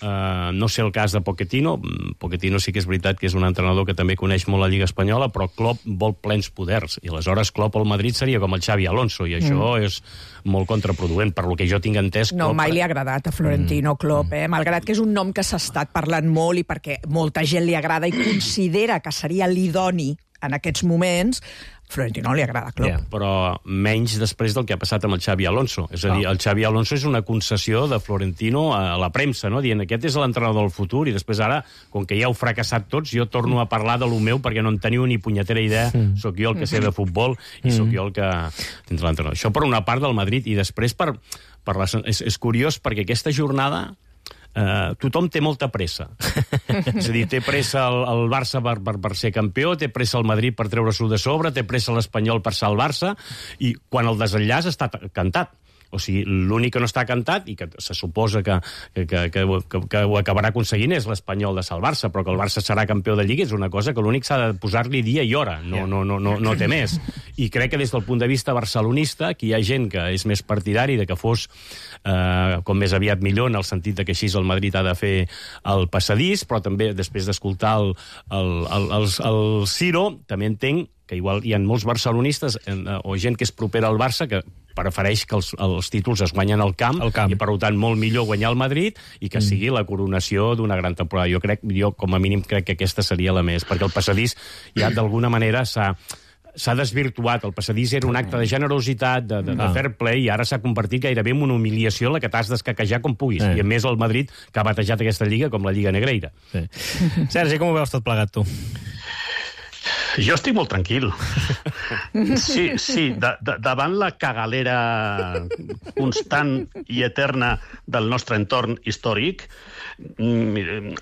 Speaker 21: uh, no sé el cas de Pochettino, Pochettino sí que és veritat que és un entrenador que també coneix molt la Lliga Espanyola, però Klopp vol plens poders, i aleshores Klopp al Madrid seria com el Xavi Alonso, i això mm. és molt contraproduent, per lo que jo tinc entès.
Speaker 20: No,
Speaker 21: Klopp...
Speaker 20: mai li ha agradat a Florentino mm. Klopp, eh? Malgrat que és un nom que s'ha estat parlant molt i perquè molta gent li agrada i considera que seria l'idoni en aquests moments, Florentino li agrada Klopp.
Speaker 21: Yeah, però menys després del que ha passat amb el Xavi Alonso. És a dir, el Xavi Alonso és una concessió de Florentino a la premsa, no? Dient, aquest és l'entrenador del futur, i després ara, com que ja heu fracassat tots, jo torno a parlar de lo meu perquè no en teniu ni punyetera idea, mm. sóc jo el que sé de futbol i mm. sóc jo el que tindrà l'entrenador. Això per una part del Madrid, i després per, per la, és, és curiós perquè aquesta jornada Uh, tothom té molta pressa. És a dir, té pressa el, el Barça per, per, per ser campió, té pressa el Madrid per treure-s'ho de sobre, té pressa l'Espanyol per salvar-se, i quan el desenllaç està cantat. O sigui, l'únic que no està cantat, i que se suposa que, que, que, que, que ho acabarà aconseguint, és l'Espanyol de salvar-se, però que el Barça serà campió de Lliga és una cosa que l'únic s'ha de posar-li dia i hora, no, no, no, no, no té més. I crec que des del punt de vista barcelonista, que hi ha gent que és més partidari de que fos eh, com més aviat millor, en el sentit de que així el Madrid ha de fer el passadís, però també després d'escoltar el, el, el, el, el Ciro, també entenc que igual hi ha molts barcelonistes eh, o gent que és propera al Barça que prefereix que els, els títols es guanyen al camp, camp, i per tant molt millor guanyar el Madrid i que mm. sigui la coronació d'una gran temporada. Jo crec, jo com a mínim crec que aquesta seria la més, perquè el passadís ja d'alguna manera s'ha s'ha desvirtuat. El passadís era un acte de generositat, de, de, de fair play, i ara s'ha convertit gairebé en una humiliació en la que t'has d'escaquejar com puguis. Eh. I a més el Madrid, que ha batejat aquesta lliga com la Lliga Negreira. Sí.
Speaker 2: Sergi, com ho veus tot plegat, tu?
Speaker 1: Jo estic molt tranquil. Sí, sí, de, de, davant la cagalera constant i eterna del nostre entorn històric,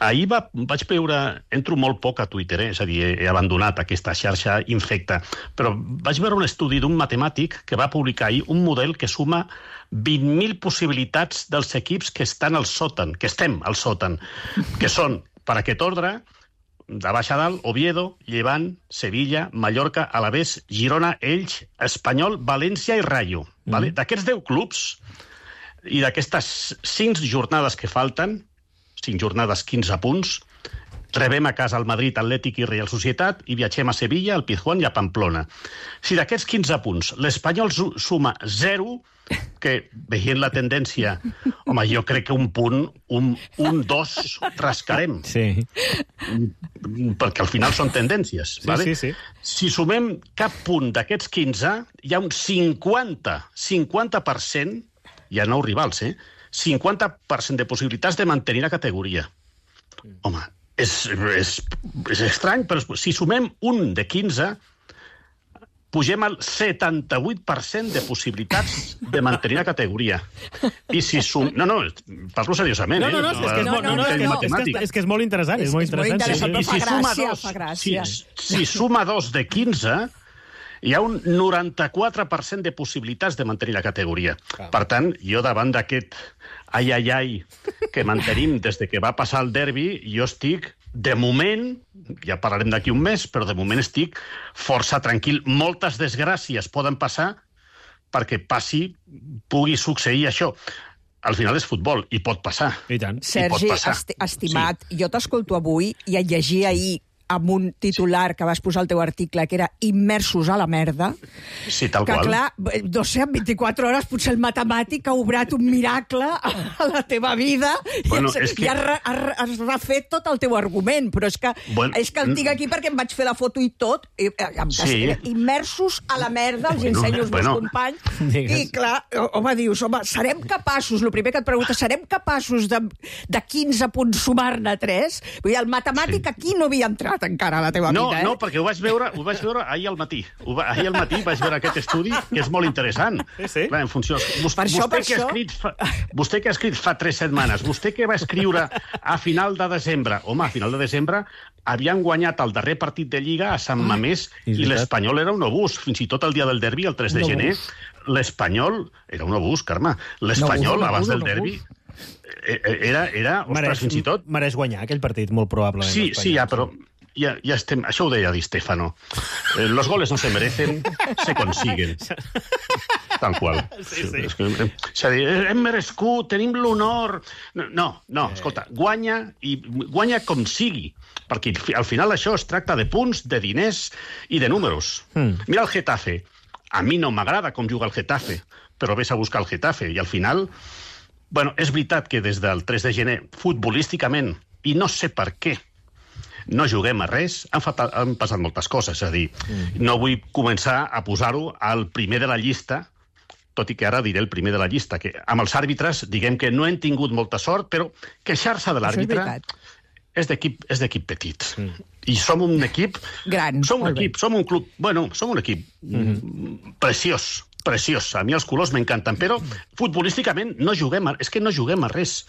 Speaker 1: ahir va, vaig veure, entro molt poc a Twitter, eh? És a dir, he abandonat aquesta xarxa infecta, però vaig veure un estudi d'un matemàtic que va publicar ahir un model que suma vint mil possibilitats dels equips que estan al sòtan, que estem al sòtan, que són, per aquest ordre, de baix a dalt, Oviedo, Llevant, Sevilla, Mallorca, Alavés, Girona, Elx, Espanyol, València i Rayo. Mm. Vale? D'aquests deu clubs i d'aquestes cinc jornades que falten, cinc jornades, quinze punts, rebem a casa el Madrid, Atlètic i Real Societat i viatgem a Sevilla, al Pizjuán i a Pamplona. Si d'aquests quinze punts l'Espanyol suma zero, que veient la tendència, home, jo crec que un punt, un, un dos, rascarem. Sí. Perquè al final són tendències. Sí, vale? Sí, sí. Si sumem cap punt d'aquests quinze, hi ha un cinquanta, cinquanta per cent, hi ha nou rivals, eh? cinquanta per cent de possibilitats de mantenir la categoria. Home, és, és, és estrany, però si sumem un de quinze, pugem al setanta-vuit per cent de possibilitats de mantenir la categoria. I si sum... No, no, parlo seriosament,
Speaker 2: no, no, no,
Speaker 1: eh?
Speaker 2: És que és, no, no, no, és, que és, que, és que és molt interessant. És, és molt interessant. És molt interessant,
Speaker 1: I si
Speaker 20: fa
Speaker 1: suma
Speaker 20: gràcia,
Speaker 1: dos,
Speaker 20: fa gràcia.
Speaker 1: Si, si suma dos de quinze, hi ha un noranta-quatre per cent de possibilitats de mantenir la categoria. Per tant, jo davant d'aquest ai, ai, ai que mantenim des de que va passar el derbi, jo estic... De moment, ja parlarem d'aquí un mes, però de moment estic força tranquil. Moltes desgràcies poden passar perquè passi, pugui succeir això. Al final és futbol, i pot passar.
Speaker 2: I tant.
Speaker 20: Sergi,
Speaker 1: I pot passar.
Speaker 20: esti estimat, sí. Jo t'escolto avui i et llegir ahir amb un titular que vas posar al teu article, que era immersos a la merda.
Speaker 1: Sí, tal
Speaker 20: que,
Speaker 1: qual.
Speaker 20: clar, no sé, en vint-i-quatre hores potser el matemàtic ha obrat un miracle a la teva vida
Speaker 1: Bueno,
Speaker 20: i, has,
Speaker 1: és que-
Speaker 20: i has, re- has, re- has refet tot el teu argument, però és que,
Speaker 1: Bueno,
Speaker 20: és que el tinc aquí perquè em vaig fer la foto i tot, i, em
Speaker 1: Sí.
Speaker 20: immersos a la merda, els
Speaker 1: Bueno,
Speaker 20: ensenyo als
Speaker 1: bueno.
Speaker 20: meus companys,
Speaker 2: Digues.
Speaker 20: i clar, home, dius, home, serem capaços, el primer que et pregunta, serem capaços de, de quinze punts sumar-ne tres? Vull dir, el matemàtic sí. aquí no havia entrat encara a la teva
Speaker 1: No,
Speaker 20: vida, eh?
Speaker 1: no, perquè ho vaig veure, ho vaig veure ahir al matí. Ho va, ahir al matí vaig veure aquest estudi, que és molt interessant.
Speaker 2: Sí, sí.
Speaker 1: Clar, en funció... Vos,
Speaker 20: Per això,
Speaker 1: vostè,
Speaker 20: per
Speaker 1: que ha
Speaker 20: això.
Speaker 1: escrit fa, vostè que ha escrit fa tres setmanes, vostè que va escriure a final de desembre, home, a final de desembre havien guanyat el darrer partit de Lliga a Sant Mamés
Speaker 2: és
Speaker 1: i
Speaker 2: veritat.
Speaker 1: l'Espanyol era un obús. Fins i tot el dia del derbi, el tres de
Speaker 20: Un
Speaker 1: gener,
Speaker 20: obús.
Speaker 1: l'Espanyol era un obús, Carme. L'Espanyol,
Speaker 20: Un obús, un
Speaker 1: abans
Speaker 20: obús,
Speaker 1: del
Speaker 20: un
Speaker 1: derbi, eh, eh, era, era ostres,
Speaker 2: Mereix,
Speaker 1: fins i tot...
Speaker 2: mereix guanyar aquell partit, molt probablement.
Speaker 1: Sí,
Speaker 2: l'Espanyol.
Speaker 1: sí, ja, però ja, ja estem... Això ho deia Di Stefano. Eh, los goles no se merecen, se consiguen. Tal qual.
Speaker 2: Sí, sí.
Speaker 1: És que, eh, és a dir, eh, hem merescut, tenim l'honor... No, no, escolta, guanya i guanya com sigui, perquè al final això es tracta de punts, de diners i de números.
Speaker 2: Mm.
Speaker 1: Mira el Getafe. A mi no m'agrada com juga el Getafe, però ves a buscar el Getafe i al final... Bueno, és veritat que des del tres de gener, futbolísticament, i no sé per què, no juguem a res, han, fat, han passat moltes coses, és a dir, mm. no vull començar a posar-ho al primer de la llista, tot i que ara diré el primer de la llista, que amb els àrbitres diguem que no hem tingut molta sort, però queixar-se de
Speaker 20: Això és
Speaker 1: l'àrbitre
Speaker 20: veritat.
Speaker 1: és d'equip és d'equip petit. Mm. I som un equip...
Speaker 20: Gran,
Speaker 1: Som un
Speaker 20: molt bé.
Speaker 1: equip, som un club... Bueno, som un equip mm. preciós, preciós. A mi els colors m'encanten, però futbolísticament no juguem a, és que no juguem a res.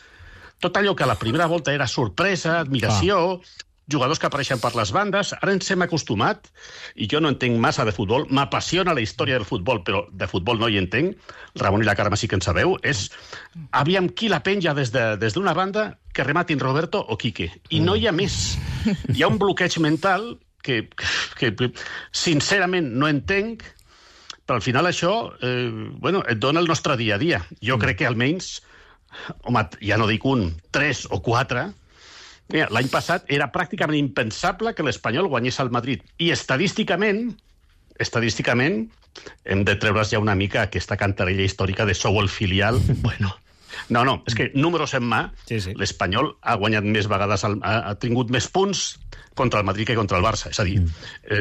Speaker 1: Tot allò que a la primera volta era sorpresa, admiració, jugadors que apareixen per les bandes, ara ens hem acostumat, i jo no entenc massa de futbol, m'apassiona la història del futbol, però de futbol no hi entenc, Ramon i la Carme sí que en sabeu, és aviam qui la penja des de, des d'una banda que rematin Roberto o Quique. I no hi ha més. Hi ha un bloqueig mental que, que, que sincerament no entenc, però al final això eh, bueno, et dona el nostre dia a dia. Jo crec que almenys, home, ja no dic un, tres o quatre, mira, l'any passat era pràcticament impensable que l'Espanyol guanyés al Madrid. I estadísticament, estadísticament, hem de treure's ja una mica aquesta cantarella històrica de sou el filial. Bueno, no, no, és que números en mà,
Speaker 2: Sí, sí.
Speaker 1: l'Espanyol ha guanyat més vegades, el, ha, ha tingut més punts contra el Madrid que contra el Barça. És a dir, eh,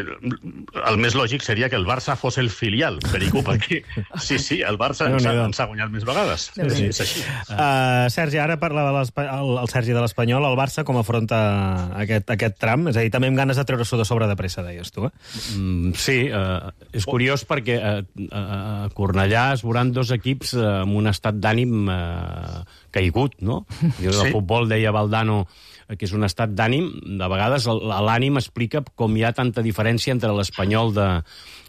Speaker 1: el més lògic seria que el Barça fos el filial, Perico, perquè sí, sí, el Barça ens ha, ens ha guanyat més vegades.
Speaker 2: Sí, sí.
Speaker 1: És així.
Speaker 2: Uh, Sergi, ara parla de l'Espa- el, el Sergi de l'Espanyol, el Barça com afronta aquest, aquest tram? És a dir, també amb ganes de treure-s'ho de sobre de pressa, deies tu, eh?
Speaker 21: Mm, sí, eh, és curiós perquè eh, a Cornellà es veuran dos equips eh, amb un estat d'ànim eh, caigut, no? I el
Speaker 1: Sí.
Speaker 21: futbol, deia Valdano, eh, que és un estat d'ànim. De vegades el- l'ànim explica com hi ha tanta diferència entre l'Espanyol de,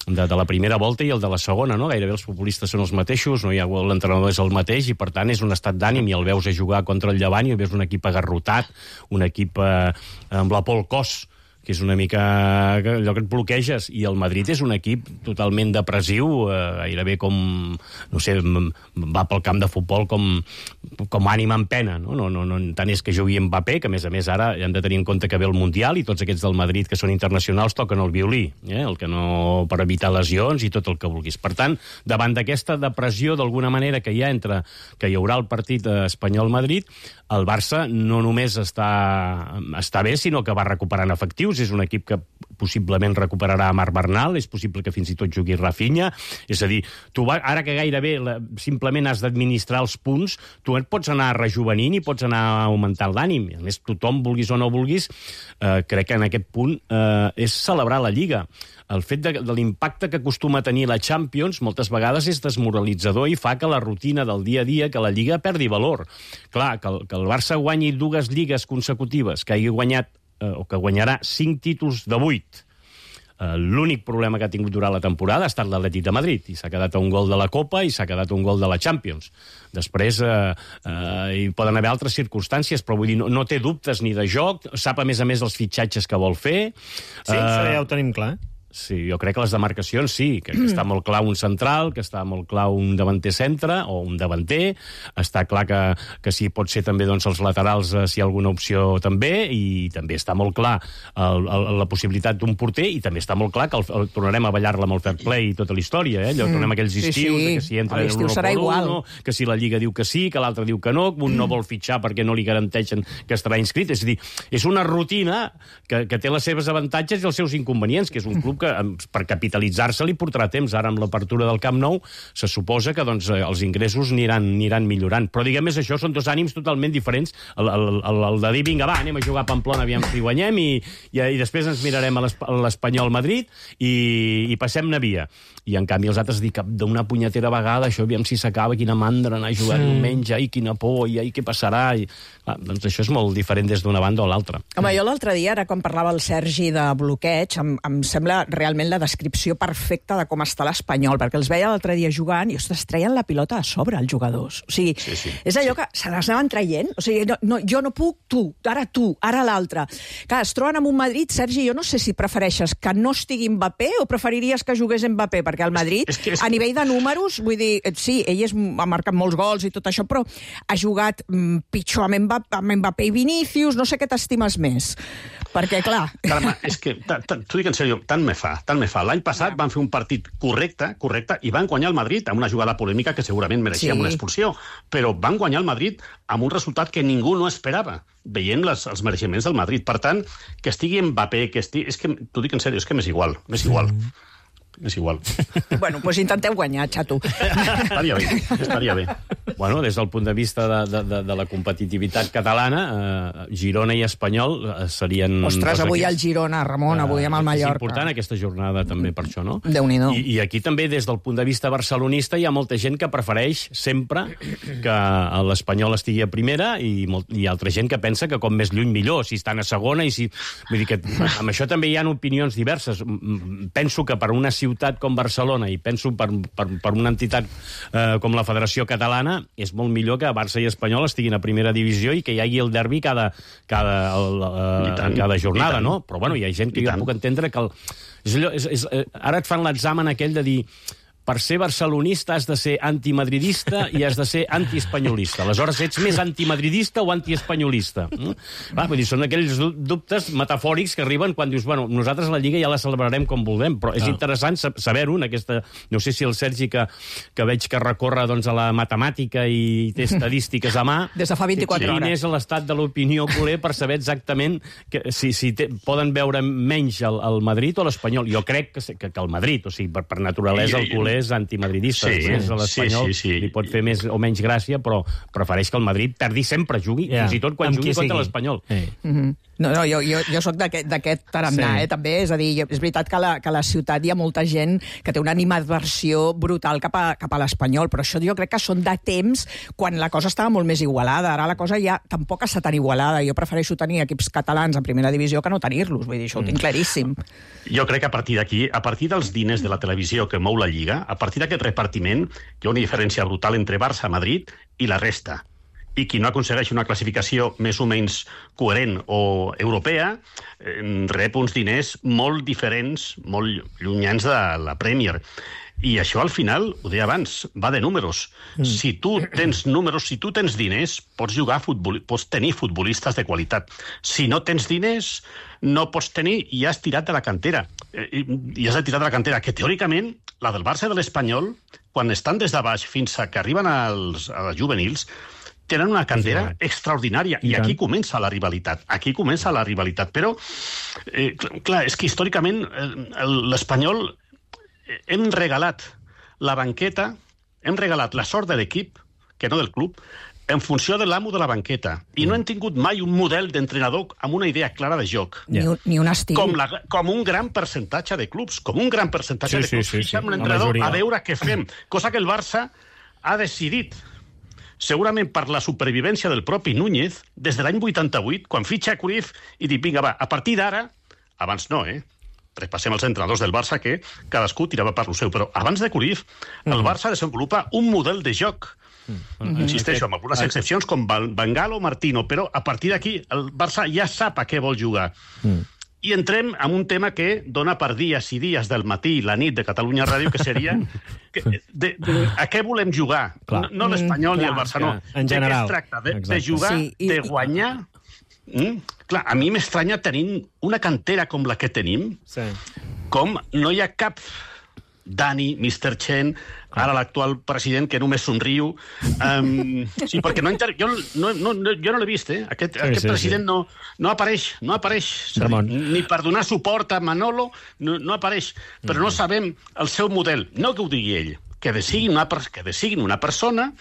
Speaker 21: de, de la primera volta i el de la segona, no? Gairebé els futbolistes són els mateixos, no hi ha l'entrenador és el mateix, i per tant és un estat d'ànim, i el veus a jugar contra el Llevant i el veus un equip agarrotat, un equip eh, amb la por al cos, que és una mica allò que et bloqueges, i el Madrid és un equip totalment depressiu, eh, gairebé com, no sé, m- va pel camp de futbol com, com ànima en pena, no? No, no, no tant és que jugui Mbappé, que a més a més ara hem de tenir en compte que ve el Mundial i tots aquests del Madrid que són internacionals toquen el violí, eh? El que no per evitar lesions i tot el que vulguis. Per tant, davant d'aquesta depressió d'alguna manera que hi ha entre que hi haurà el partit eh, Espanyol-Madrid, el Barça no només està, està bé, sinó que va recuperant efectius. És un equip que possiblement recuperarà Marc Bernal, és possible que fins i tot jugui Rafinha. És a dir, tu va, ara que gairebé la, simplement has d'administrar els punts, tu et pots anar rejuvenint i pots anar augmentant l'ànim. A més, tothom, vulguis o no vulguis, eh, crec que en aquest punt eh, és celebrar la Lliga. El fet de, de l'impacte que acostuma a tenir la Champions moltes vegades és desmoralitzador i fa que la rutina del dia a dia, que la Lliga perdi valor. Clar, que el, que el Barça guanyi dues lligues consecutives, que hagi guanyat eh, o que guanyarà cinc títols de vuit. Eh, L'únic problema que ha tingut durant la temporada ha estat l'Atlètic de Madrid, i s'ha quedat a un gol de la Copa i s'ha quedat a un gol de la Champions. Després eh, eh, hi poden haver altres circumstàncies, però vull dir, no, no té dubtes ni de joc, sap a més a més els fitxatges que vol fer.
Speaker 2: Sí, això ja ho tenim clar, eh?
Speaker 21: sí, jo crec que les demarcacions sí, que, que està molt clar un central, que està molt clar un davanter centre o un davanter, està clar que, que sí, pot ser també doncs, els laterals eh, si hi ha alguna opció també, i també està molt clar el, el, la possibilitat d'un porter, i també està molt clar que el, el, tornarem a ballar-la amb el fair play i tota la història, eh? Allò, tornem a aquells estius, sí, sí. que si entra l'uno per uno, que si la Lliga diu que sí, que l'altre diu que no, que un no vol fitxar perquè no li garanteixen que estarà inscrit, és a dir, és una rutina que, que té les seves avantatges i els seus inconvenients, que és un club que per capitalitzar-se li portarà temps. Ara, amb l'apertura del Camp Nou, se suposa que doncs, els ingressos aniran, aniran millorant. Però, diguem, és això, són dos ànims totalment diferents. El, el, el, el de dir, vinga, va, anem a jugar a Pamplona, aviam si guanyem, i, i, i després ens mirarem a l'Espanyol Madrid i, i passem-ne via. I, en canvi, els altres dir que d'una punyetera vegada, això, aviam si s'acaba, quina mandra anar a jugar sí. diumenge, ai, quina por, i ai, què passarà? I, clar, doncs això és molt diferent des d'una banda o l'altra.
Speaker 20: Home, jo l'altre dia, ara quan parlava el Sergi de bloqueig, em, em sembla realment la descripció perfecta de com està l'Espanyol, perquè els veia l'altre dia jugant i, ostres, treien la pilota a sobre, els jugadors. O sigui, sí, sí. és allò que se les anaven traient. O sigui, no, no, jo no puc, tu, ara tu, ara l'altre. Clar, es troben amb un Madrid, Sergi, jo no sé si prefereixes que no estigui Mbappé o preferiries que jugués Mbappé, perquè el Madrid, és que, és que... a nivell de números, vull dir, sí, ell és, ha marcat molts gols i tot això, però ha jugat mm, pitjor amb Mbappé, amb Mbappé i Vinícius, no sé què t'estimes més. Perquè, clar...
Speaker 1: Carme, és que, t'ho dic en sèrio, tant me fa, tant me fa. L'any passat van fer un partit correcte, correcte, i van guanyar el Madrid amb una jugada polèmica que segurament mereixia sí. una expulsió, però van guanyar el Madrid amb un resultat que ningú no esperava, veient les, els mereixements del Madrid. Per tant, que estigui Mbappé, que estigui... És que, t'ho dic en sèrio, és que m'és igual, m'és igual. Mm. És igual.
Speaker 20: Bueno, doncs intenteu guanyar, xato.
Speaker 1: Estaria bé, estaria bé.
Speaker 21: Bueno, des del punt de vista de, de, de la competitivitat catalana, eh, Girona i Espanyol eh, serien...
Speaker 20: Ostres, avui el Girona, Ramon, avui amb el Mallorca.
Speaker 21: És important aquesta jornada també per això, no?
Speaker 20: Déu-n'hi-do.
Speaker 21: I, I aquí també, des del punt de vista barcelonista, hi ha molta gent que prefereix sempre que l'Espanyol estigui a primera i molt, hi ha altra gent que pensa que com més lluny millor, si estan a segona i si... Vull dir que amb això també hi ha opinions diverses. Penso que per una ciutat com Barcelona, i penso per, per, per una entitat eh, com la Federació Catalana, és molt millor que Barça i Espanyol estiguin a primera divisió i que hi hagi el derbi cada, cada, el, eh, tant, cada jornada, no? Però bueno, hi ha gent que jo puc entendre que... El, és allò, és, és, ara et fan l'examen aquell de dir... Per ser barcelonista has de ser antimadridista i has de ser antiespanyolista. Aleshores, ets més antimadridista o antiespanyolista? Mm? Va, vull dir, són aquells dubtes metafòrics que arriben quan dius, bueno, nosaltres la Lliga ja la celebrarem com vulguem, però és ah. interessant saber-ho en aquesta... No sé si el Sergi, que, que veig que recorre doncs, a la matemàtica i té estadístiques a mà...
Speaker 20: Des de fa vint-i-quatre hores.
Speaker 21: Quin és l'estat de l'opinió culer per saber exactament que, si, si te, poden veure menys el, el Madrid o l'Espanyol. Jo crec que, que, que el Madrid, o sigui, per, per naturalesa el culer és antimadridista. Sí, Després a l'Espanyol sí, sí, sí. li pot fer més o menys gràcia, però prefereix que el Madrid perdi sempre, jugui, yeah. fins i tot quan amb jugui contra l'Espanyol.
Speaker 20: Eh. Mm-hmm. No, no, jo, jo, jo soc d'aquest tarannà, sí. eh, també. És a dir, és veritat que a la, que a la ciutat hi ha molta gent que té una animadversió brutal cap a, cap a l'Espanyol, però això jo crec que són de temps quan la cosa estava molt més igualada. Ara la cosa ja tampoc està tan igualada. Jo prefereixo tenir equips catalans en primera divisió que no tenir-los. Vull dir, això ho tinc claríssim.
Speaker 1: Jo crec que a partir d'aquí, a partir dels diners de la televisió que mou la Lliga, a partir d'aquest repartiment, hi ha una diferència brutal entre Barça, Madrid i la resta. I qui no aconsegueix una classificació més o menys coherent o europea rep uns diners molt diferents, molt llunyans de la Premier. I això, al final, ho deia abans, va de números. Mm. Si tu tens números, si tu tens diners, pots jugar a futbol, pots tenir futbolistes de qualitat. Si no tens diners, no pots tenir i has tirat de la cantera. I, i has tirat de la cantera, que teòricament, la del Barça i de l'Espanyol, quan estan des de baix fins a que arriben als, als juvenils, tenen una cantera sí, extraordinària, i, i aquí comença la rivalitat. Aquí comença la rivalitat. Però, eh, clar, és que històricament eh, l'Espanyol hem regalat la banqueta, hem regalat la sort de l'equip, que no del club, en funció de l'amo de la banqueta. I no hem tingut mai un model d'entrenador amb una idea clara de joc.
Speaker 20: Ni, un, ni un estil.
Speaker 1: Com, la, com un gran percentatge de clubs. Com un gran percentatge
Speaker 21: sí,
Speaker 1: de clubs.
Speaker 21: Sí, sí, sí.
Speaker 1: Fixem l'entrenador a veure què fem. Cosa que el Barça ha decidit, segurament per la supervivència del propi Núñez, des de l'any vuitanta-vuit, quan fitxa Cruyff i dic, vinga, va, a partir d'ara, abans no, eh? Repassem els entrenadors del Barça, que cadascú tirava per lo seu, però abans de Cruyff, el Barça desenvolupa un model de joc. Mm-hmm. Insisteixo, amb algunes excepcions, com Van Gaal o Martino, però a partir d'aquí el Barça ja sap a què vol jugar. Mm. I entrem en un tema que dona per dies i dies del matí i la nit de Catalunya Ràdio, que seria que, de, de, a què volem jugar? Clar. No, no l'Espanyol ni el Barça, no.
Speaker 2: En general.
Speaker 1: De què es tracta? De, de jugar, sí, i, de guanyar... Mm? Clar, a mi m'estranya tenint una cantera com la que tenim, sí. com no hi ha cap Dani, mister Chen, ara l'actual president, que només somriu. Um, sí, perquè no inter... jo, no, no, jo no l'he vist, eh? Aquest, sí, aquest sí, president sí. No, no apareix, no apareix. Ni per donar suport a Manolo, no, no apareix. Però mm. no sabem el seu model. No que ho digui ell, que desigui una, que desigui una persona,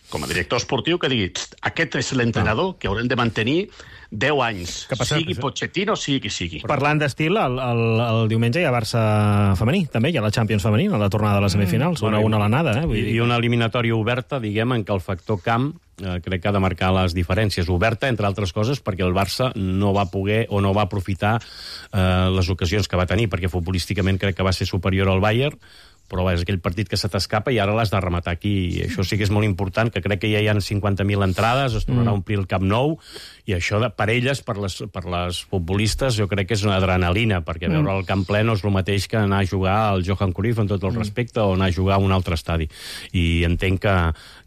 Speaker 1: com a director esportiu, que digui aquest és l'entrenador que haurem de mantenir deu anys, sigui Pochettino, sigui qui sigui.
Speaker 2: Parlant d'estil, el, el, el diumenge hi ha Barça femení, també, hi ha la Champions femení, a la tornada de les semifinals, una a una a l'anada. Eh? Vull dir. I una eliminatòria oberta, diguem, en què el factor camp eh, crec que ha de marcar les diferències. Oberta, entre altres coses, perquè el Barça no va poder o no va aprofitar eh, les ocasions que va tenir, perquè futbolísticament crec que va ser superior al Bayern, però és aquell partit que se t'escapa i ara l'has de rematar aquí. I això sí que és molt important, que crec que ja hi ha cinquanta mil entrades, es tornarà mm. a omplir el Camp Nou, i això de, per elles, per les, per les futbolistes, jo crec que és una adrenalina, perquè mm. veure el camp ple no és el mateix que anar a jugar al Johan Cruyff, amb tot el respecte, o anar a jugar a un altre estadi. I entenc que,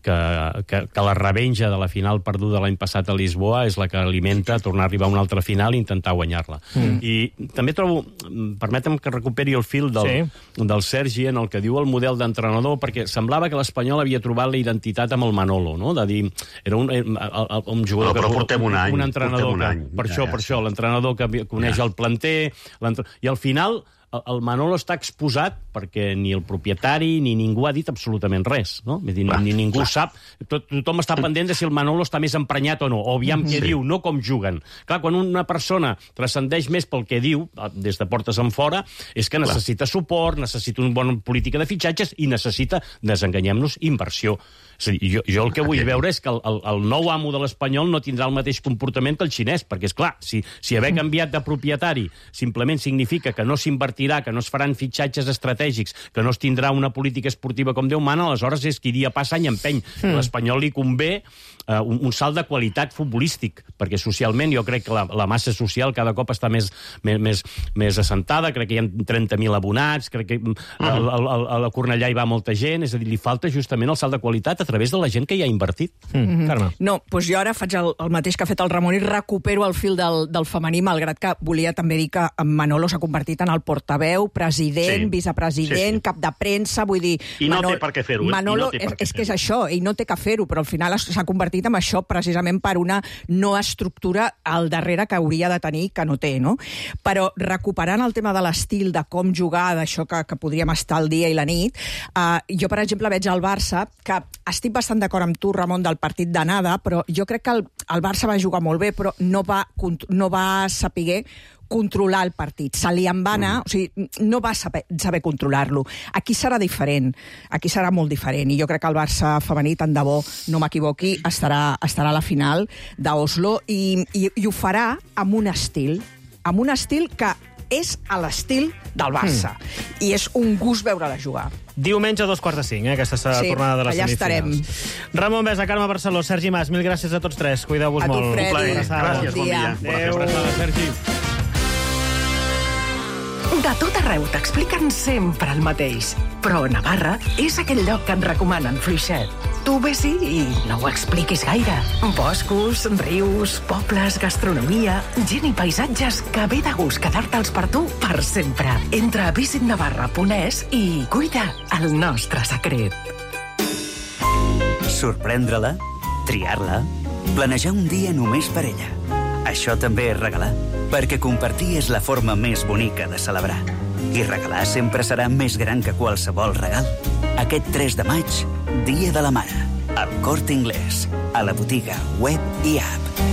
Speaker 2: que, que, que la revenja de la final perduda l'any passat a Lisboa és la que alimenta tornar a arribar a una altra final i intentar guanyar-la. Mm. I també trobo, permetem que recuperi el fil del, sí. del Sergi en el que diu el model d'entrenador, perquè semblava que l'Espanyol havia trobat la identitat amb el Manolo, no? De dir, era un, un jugador...
Speaker 1: No, però portem un any.
Speaker 2: Un entrenador
Speaker 1: un any.
Speaker 2: Que, per ja, això,
Speaker 1: ja,
Speaker 2: per ja, això, l'entrenador que coneix ja. el planter, i al final el Manolo està exposat perquè ni el propietari ni ningú ha dit absolutament res, no? Vull dir, clar, ni ningú clar. sap, tot, tothom està pendent de si el Manolo està més emprenyat o no, o aviam què sí. diu, no com juguen. Clar, quan una persona transcendeix més pel que diu, des de portes en fora, és que necessita clar. suport, necessita una bona política de fitxatges i necessita, desenganyem-nos, inversió. És a dir, jo, jo el que vull veure és que el, el, el nou amo de l'Espanyol no tindrà el mateix comportament que el xinès, perquè, és clar, si, si haver canviat de propietari simplement significa que no s'invertirà, que no es faran fitxatges estratègics, que no es tindrà una política esportiva com Déu mana, aleshores és qui dia passa any empeny. Mm. A l'Espanyol li convé eh, un, un salt de qualitat futbolístic, perquè socialment jo crec que la, la massa social cada cop està més, més, més, més assentada, crec que hi ha trenta mil abonats, crec que mm. a, a, a la Cornellà hi va molta gent, és a dir, li falta justament el salt de qualitat a través de la gent que hi ha invertit. Mm. Mm-hmm. Carme.
Speaker 20: No, doncs jo ara faig el, el mateix que ha fet el Ramon i recupero el fil del, del femení, malgrat que volia també dir que Manolo s'ha convertit en el portaveu, president, sí. vicepresident, sí, sí. cap de premsa, vull dir...
Speaker 1: I no Manolo, té per què fer-ho. Eh?
Speaker 20: Manolo, no és, és que és això, ell no té que fer-ho, però al final s'ha convertit en això precisament per una no estructura al darrere que hauria de tenir, que no té, no? Però recuperant el tema de l'estil, de com jugar, d'això que, que podríem estar el dia i la nit, uh, jo, per exemple, veig al Barça, que estic bastant d'acord amb tu, Ramon, del partit d'anada, però jo crec que el, el Barça va jugar molt bé, però no va, no va saber controlar el partit. Se li en va anar, mm. o sigui, no va saber, saber controlar-lo. Aquí serà diferent, aquí serà molt diferent, i jo crec que el Barça femení, tant de bo no m'equivoqui, estarà, estarà a la final d'Oslo, i, i, i ho farà amb un estil, amb un estil que és a l'estil del Barça. Mm. I és un gust veure-la jugar.
Speaker 2: Diumenge a dos quarts de cinc, eh, aquesta sí, tornada de les
Speaker 20: allà
Speaker 2: semifinals. Estarem. Ramon Besa, Carme Barceló, Sergi Mas, mil gràcies a tots tres. Cuideu-vos molt.
Speaker 20: A tu, Freddy.
Speaker 1: Gràcies, bon dia.
Speaker 2: Adéu. Adéu. Sergi.
Speaker 3: De tot arreu t'expliquen sempre el mateix, però Navarra és aquell lloc que en recomanen fluixet. Tu ves-hi i no ho expliquis gaire. Boscos, rius, pobles, gastronomia, gent i paisatges que ve de gust quedar-te'ls per tu per sempre. Entra a visit navarra punt es i cuida el nostre secret.
Speaker 22: Sorprendre-la, triar-la, planejar un dia només per ella. Això també és regalar, perquè compartir és la forma més bonica de celebrar. I regalar sempre serà més gran que qualsevol regal. Aquest tres de maig, Dia de la Mare, al Corte Inglés, a la botiga web i app.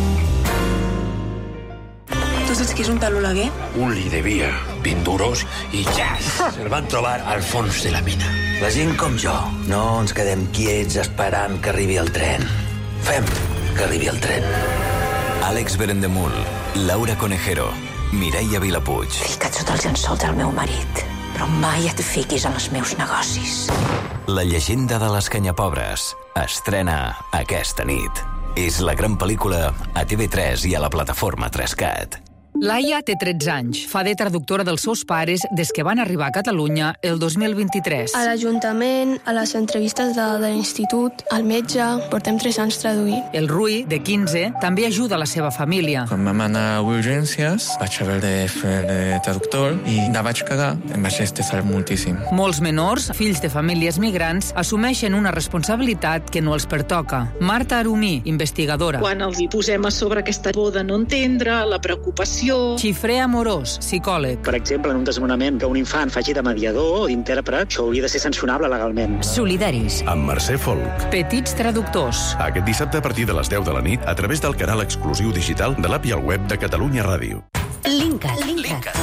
Speaker 23: Tu saps què és un tal Oleguer?
Speaker 24: Un li devia vint duros i ja se'l van trobar al fons de la mina.
Speaker 25: La gent com jo no ens quedem quiets esperant que arribi el tren. Fem que arribi el tren.
Speaker 26: Àlex Berendemul, Laura Conejero, Mireia Vilapuig.
Speaker 27: Fica't sota els llençols del meu marit, però mai et fiquis en els meus negocis.
Speaker 26: La llegenda de les canyapobres estrena aquesta nit. És la gran pel·lícula a T V tres i a la plataforma tres cat.
Speaker 4: Laia té tretze anys. Fa de traductora dels seus pares des que van arribar a Catalunya el dos mil vint-i-tres.
Speaker 5: A l'Ajuntament, a les entrevistes de, de l'institut, al metge, portem tres anys traduint.
Speaker 4: El Rui, de quinze, també ajuda la seva família.
Speaker 6: Quan vam anar a urgències, vaig haver de fer de traductor i la vaig cagar. Em vaig estressar moltíssim.
Speaker 4: Molts menors, fills de famílies migrants, assumeixen una responsabilitat que no els pertoca. Marta Arumí, investigadora.
Speaker 7: Quan els hi posem a sobre aquesta por de no entendre, la preocupació...
Speaker 4: Xifré Amorós, psicòleg.
Speaker 8: Per exemple, en un desnonament que un infant faci de mediador o d'intèrpret, això hauria de ser sancionable legalment.
Speaker 19: Solidaris.
Speaker 10: Amb Mercè Folk.
Speaker 4: Petits traductors.
Speaker 10: Aquest dissabte a partir de les deu de la nit a través del canal exclusiu digital de l'app i el web de Catalunya Ràdio.
Speaker 19: Linkat. Linkat.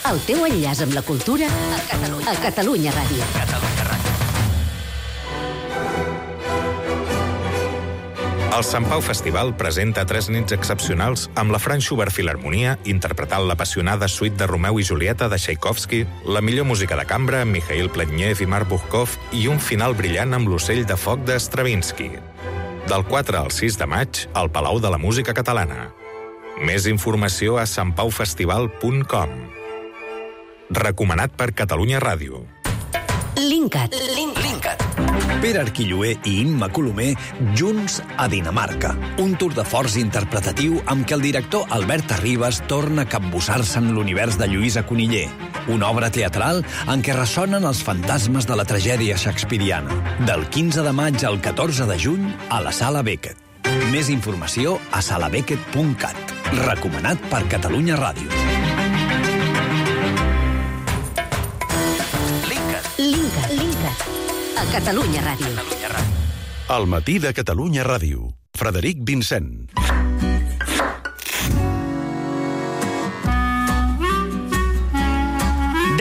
Speaker 19: El teu enllaç amb la cultura a Catalunya, a Catalunya Ràdio.
Speaker 9: Catalunya Ràdio.
Speaker 11: El Sant Pau Festival presenta tres nits excepcionals amb la Franz Schubert Filharmonia interpretant l'apassionada suite de Romeu i Julieta de Tchaikovsky, la millor música de cambra amb Mikhail Pletnev i Mark Buchkov i un final brillant amb l'Ocell de foc de Stravinsky. Del quatre al sis de maig, al Palau de la Música Catalana. Més informació a sant pau festival punt com. Recomanat per Catalunya Ràdio.
Speaker 19: Linkat.
Speaker 9: Linkat. Pere Arquilloé i Imma Colomer junts a Dinamarca. Un tour de forç interpretatiu amb què el director Albert Arribas torna a capbussar-se en l'univers de Lluïsa Coniller. Una obra teatral en què ressonen els fantasmes de la tragèdia shakespeariana. Del quinze de maig al catorze de juny a la Sala Beckett. Més informació a sala beckett punt cat. Recomanat per Catalunya Ràdio.
Speaker 19: Linkat. Linkat. A Catalunya Ràdio.
Speaker 10: El matí de Catalunya Ràdio. Frederic Vincent.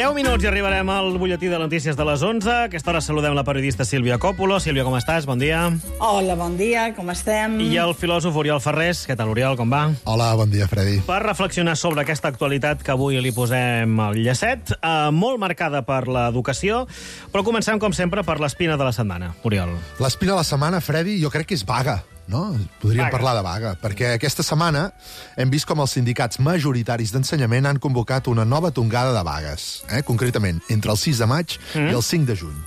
Speaker 2: deu minuts i arribarem al butlletí de notícies de les onze. A aquesta hora saludem la periodista Sílvia Còpolo. Sílvia, com estàs? Bon dia.
Speaker 28: Hola, bon dia, com estem?
Speaker 2: I el filòsof Oriol Ferrés. Què tal, Oriol, com va?
Speaker 29: Hola, bon dia, Freddy.
Speaker 2: Per reflexionar sobre aquesta actualitat que avui li posem al llacet, eh, molt marcada per l'educació, però comencem, com sempre, per l'espina de la setmana. Oriol.
Speaker 29: L'espina de la setmana, Freddy, jo crec que és vaga. No? Podríem vaga. parlar de vaga, perquè aquesta setmana hem vist com els sindicats majoritaris d'ensenyament han convocat una nova tongada de vagues, eh? concretament entre el sis de maig mm. i el cinc de juny.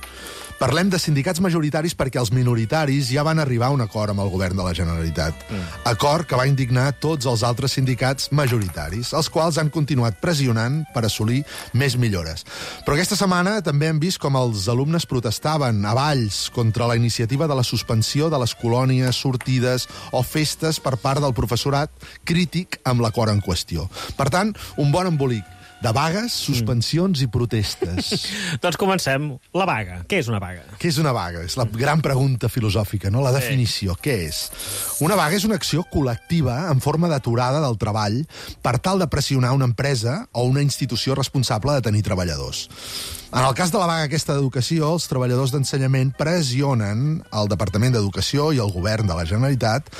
Speaker 29: Parlem de sindicats majoritaris perquè els minoritaris ja van arribar a un acord amb el govern de la Generalitat. Mm. Acord que va indignar tots els altres sindicats majoritaris, els quals han continuat pressionant per assolir més millores. Però aquesta setmana també hem vist com els alumnes protestaven a Valls contra la iniciativa de la suspensió de les colònies, sortides o festes per part del professorat crític amb l'acord en qüestió. Per tant, un bon embolic de vagues, suspensions mm. i protestes.
Speaker 2: Doncs comencem. La vaga. Què és una vaga?
Speaker 29: Què és una vaga? És la gran pregunta filosòfica, no? La definició. Sí. Què és? Una vaga és una acció col·lectiva en forma d'aturada del treball per tal de pressionar una empresa o una institució responsable de tenir treballadors. En el cas de la vaga aquesta d'educació, els treballadors d'ensenyament pressionen el Departament d'Educació i el govern de la Generalitat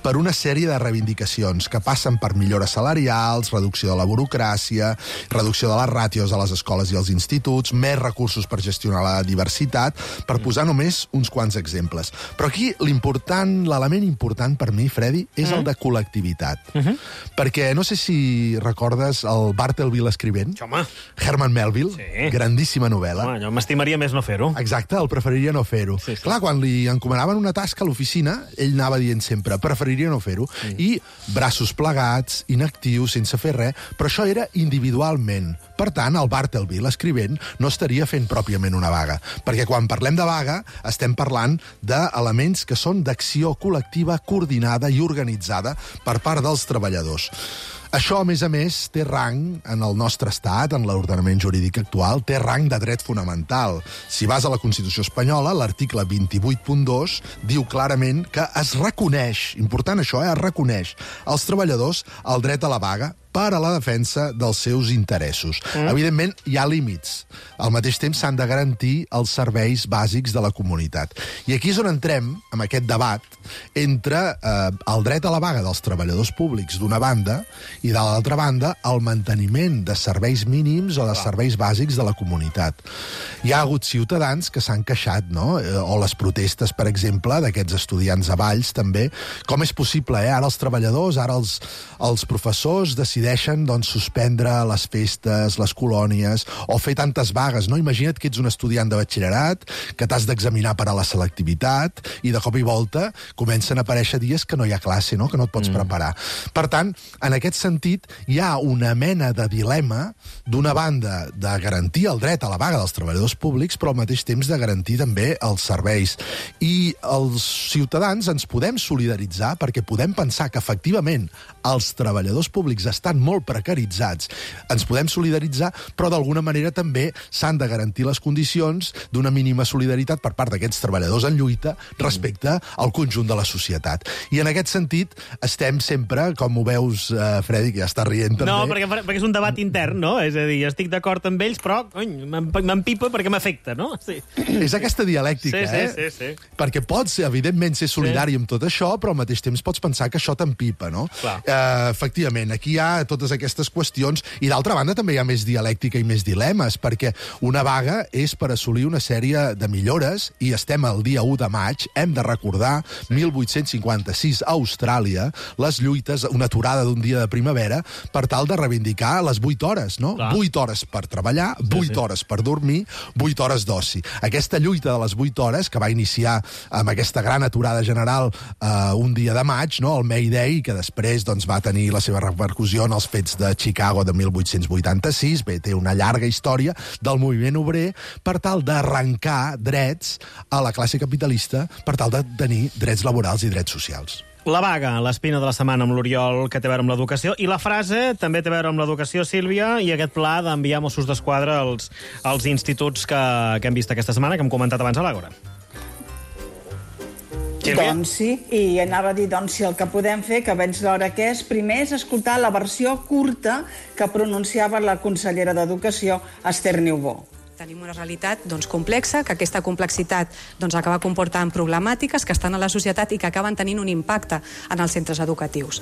Speaker 29: per una sèrie de reivindicacions que passen per millores salarials, reducció de la burocràcia, reducció de les ràtios a les escoles i als instituts, més recursos per gestionar la diversitat, per posar només uns quants exemples. Però aquí l'important, l'element important per mi, Freddy, és mm. el de col·lectivitat. Mm -hmm. Perquè no sé si recordes el Bartleby l'escrivent,
Speaker 2: Home.
Speaker 29: Herman Melville,
Speaker 2: sí.
Speaker 29: grandíssima novel·la.
Speaker 2: Home, jo m'estimaria més no fer-ho.
Speaker 29: Exacte, el preferiria no fer-ho. Sí, sí. Clar, quan li encomanaven una tasca a l'oficina, ell anava dient sempre, preferiria no fer-ho. Sí. I braços plegats, inactius, sense fer res, però això era individualment. Per tant, el Bartleby, l'escrivent, no estaria fent pròpiament una vaga. Perquè quan parlem de vaga, estem parlant d'elements que són d'acció col·lectiva, coordinada i organitzada per part dels treballadors. Això, a més a més, té rang en el nostre estat, en l'ordenament jurídic actual, té rang de dret fonamental. Si vas a la Constitució espanyola, l'article vint-i-vuit punt dos diu clarament que es reconeix, important això, eh, es reconeix als treballadors el dret a la vaga per a la defensa dels seus interessos. Mm. Evidentment, hi ha límits. Al mateix temps, s'han de garantir els serveis bàsics de la comunitat. I aquí és on entrem, amb aquest debat, entre eh, el dret a la vaga dels treballadors públics d'una banda i, de l'altra banda, el manteniment de serveis mínims o de serveis bàsics de la comunitat. Hi ha hagut ciutadans que s'han queixat, no? O les protestes, per exemple, d'aquests estudiants a Valls, també. Com és possible, eh? Ara els treballadors, ara els, els professors decideixen, doncs, suspendre les festes, les colònies, o fer tantes vagues, no? Imagina't que ets un estudiant de batxillerat, que t'has d'examinar per a la selectivitat, i de cop i volta comencen a aparèixer dies que no hi ha classe, no? Que no et pots mm. preparar. Per tant, en aquest sentit, hi ha una mena de dilema, d'una banda, de garantir el dret a la vaga dels treballadors públics, però al mateix temps de garantir també els serveis. I els ciutadans ens podem solidaritzar perquè podem pensar que, efectivament, els treballadors públics estan molt precaritzats. Ens podem solidaritzar, però d'alguna manera també s'han de garantir les condicions d'una mínima solidaritat per part d'aquests treballadors en lluita respecte al conjunt de la societat. I en aquest sentit estem sempre, com ho veus, eh, Freddy, que ja està rient també...
Speaker 2: No, perquè, perquè és un debat intern, no? És a dir, estic d'acord amb ells, però m'empipa perquè m'afecta, no? Sí.
Speaker 29: És aquesta dialèctica,
Speaker 2: sí,
Speaker 29: eh?
Speaker 2: Sí, sí, sí.
Speaker 29: Perquè pots, evidentment, ser solidari sí. amb tot això, però al mateix temps pots pensar que això t'empipa, no? Eh, efectivament, aquí hi ha totes aquestes qüestions, i d'altra banda també hi ha més dialèctica i més dilemes, perquè una vaga és per assolir una sèrie de millores, i estem al dia u de maig, hem de recordar, mil vuit-cents cinquanta-sis, a Austràlia, les lluites, una aturada d'un dia de primavera, per tal de reivindicar les vuit hores, no?
Speaker 2: Clar.
Speaker 29: vuit hores per treballar, vuit sí, sí. hores per dormir, vuit hores d'oci. Aquesta lluita de les vuit hores, que va iniciar amb aquesta gran aturada general eh, un dia de maig, no? El May Day, que després doncs, va tenir la seva repercussió en els fets de Chicago de mil vuit-cents vuitanta-sis, bé, té una llarga història del moviment obrer per tal d'arrencar drets a la classe capitalista, per tal de tenir drets laborals i drets socials.
Speaker 2: La vaga, l'espina de la setmana amb l'Oriol, que té a veure amb l'educació, i la frase també té a veure amb l'educació, Sílvia, i aquest pla d'enviar Mossos d'Esquadra als, als instituts que, que hem vist aquesta setmana, que hem comentat abans a l'Àgora.
Speaker 28: Sílvia? Doncs sí, i anava a dir, doncs, si el que podem fer, que veig l'hora que és, primer és escoltar la versió curta que pronunciava la consellera d'Educació, Esther Niubó.
Speaker 12: Tenim una realitat doncs, complexa, que aquesta complexitat doncs, acaba comportant problemàtiques que estan a la societat i que acaben tenint un impacte en els centres educatius.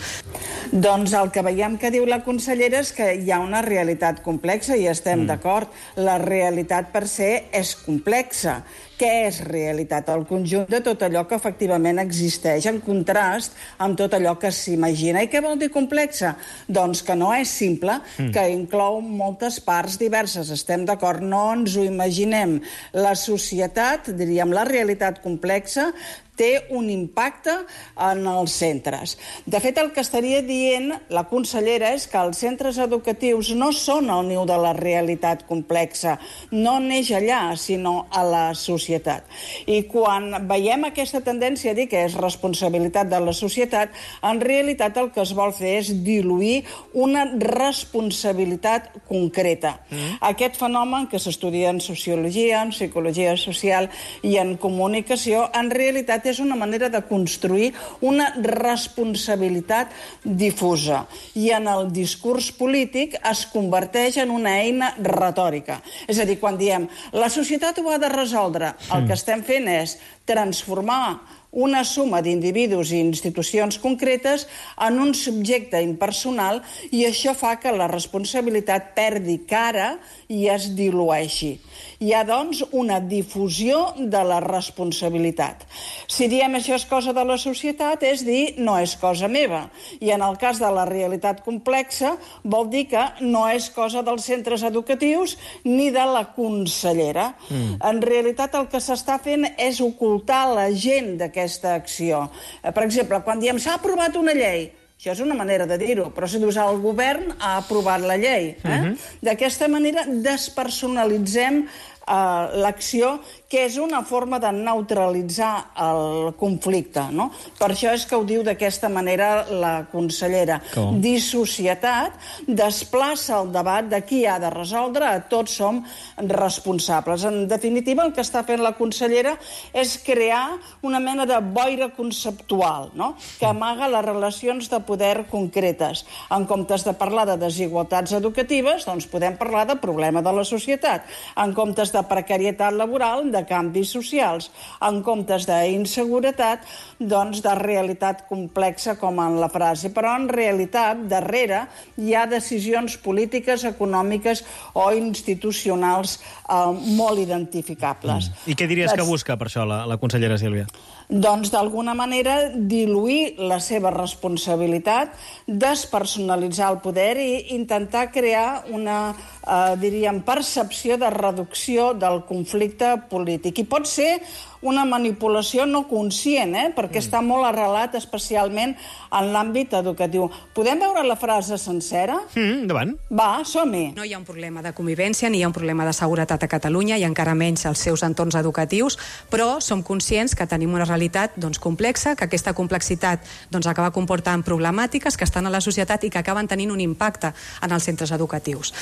Speaker 28: Doncs el que veiem que diu la consellera és que hi ha una realitat complexa i estem mm. d'acord. La realitat per se és complexa. Què és realitat? El conjunt de tot allò que efectivament existeix en contrast amb tot allò que s'imagina. I què vol dir complexa? Doncs que no és simple, mm. que inclou moltes parts diverses. Estem d'acord, no ens ho imaginem. La societat, diríem, la realitat complexa, té un impacte en els centres. De fet, el que estaria dient la consellera és que els centres educatius no són el niu de la realitat complexa, no neix allà, sinó a la societat. I quan veiem aquesta tendència a dir que és responsabilitat de la societat, en realitat el que es vol fer és diluir una responsabilitat concreta. Mm. Aquest fenomen que s'estudia en sociologia, en psicologia social i en comunicació, en realitat és una manera de construir una responsabilitat difusa. I en el discurs polític es converteix en una eina retòrica. És a dir, quan diem la societat ho ha de resoldre, el que estem fent és transformar una suma d'individus i institucions concretes en un subjecte impersonal, i això fa que la responsabilitat perdi cara i es dilueixi. Hi ha, doncs, una difusió de la responsabilitat. Si diem això és cosa de la societat, és dir, no és cosa meva. I en el cas de la realitat complexa, vol dir que no és cosa dels centres educatius ni de la consellera. Mm. En realitat, el que s'està fent és ocultar la gent d'aquesta acció. Per exemple, quan diem s'ha aprovat una llei, això és una manera de dir-ho, però si dius el govern ha aprovat la llei. Eh? Uh-huh. D'aquesta manera despersonalitzem eh, l'acció, que és una forma de neutralitzar el conflicte, no? Per això és que ho diu d'aquesta manera la consellera.
Speaker 2: Com?
Speaker 28: Dissocietat desplaça el debat de qui ha de resoldre, a tots som responsables. En definitiva, el que està fent la consellera és crear una mena de boira conceptual, no? Que amaga les relacions de poder concretes. En comptes de parlar de desigualtats educatives, doncs podem parlar de problema de la societat. En comptes de precarietat laboral, de canvis socials. En comptes d'inseguretat, doncs de realitat complexa, com en la frase. Però en realitat, darrere, hi ha decisions polítiques, econòmiques o institucionals eh, molt identificables.
Speaker 2: I què diries que busca per això la, la consellera Sílvia?
Speaker 28: Doncs, d'alguna manera, diluir la seva responsabilitat, despersonalitzar el poder i intentar crear una, eh, diríem, percepció de reducció del conflicte polític. I pot ser una manipulació no conscient, eh? Perquè mm. està molt arrelat, especialment en l'àmbit educatiu. Podem veure la frase sencera?
Speaker 2: Mm, endavant.
Speaker 28: Va, som-hi.
Speaker 12: No hi ha un problema de convivència ni hi ha un problema de seguretat a Catalunya i encara menys als seus entorns educatius, però som conscients que tenim una realitat doncs, complexa, que aquesta complexitat doncs, acaba comportant problemàtiques que estan a la societat i que acaben tenint un impacte en els centres educatius.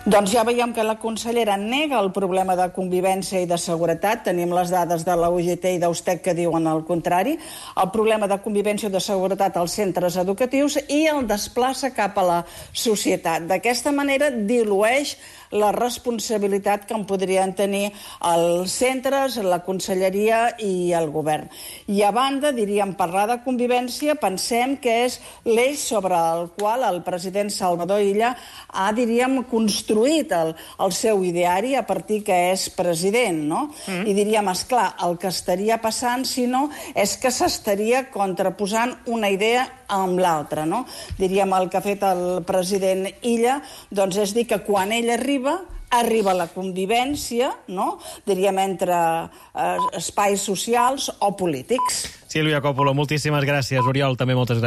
Speaker 28: Doncs ja veiem que la consellera nega el problema de convivència i de seguretat. Tenim les dades de la U G T i d'Eustec que diuen el contrari. El problema de convivència i de seguretat als centres educatius i el desplaça cap a la societat. D'aquesta manera dilueix la responsabilitat que en podrien tenir els centres, la conselleria i el govern. I a banda, diríem, parlar de convivència, pensem que és l'eix sobre el qual el president Salvador Illa ha, diríem, construït el, el seu ideari a partir que és president, no? Mm. I diríem, esclar, el que estaria passant, si no, és que s'estaria contraposant una idea amb l'altra, no? Diríem, el que ha fet el president Illa, doncs és dir que quan ell arriba, arriba la convivència, no? Diríem, entre eh, espais socials o polítics.
Speaker 2: Sílvia Coppolo, moltíssimes gràcies. Oriol, també moltes gràcies.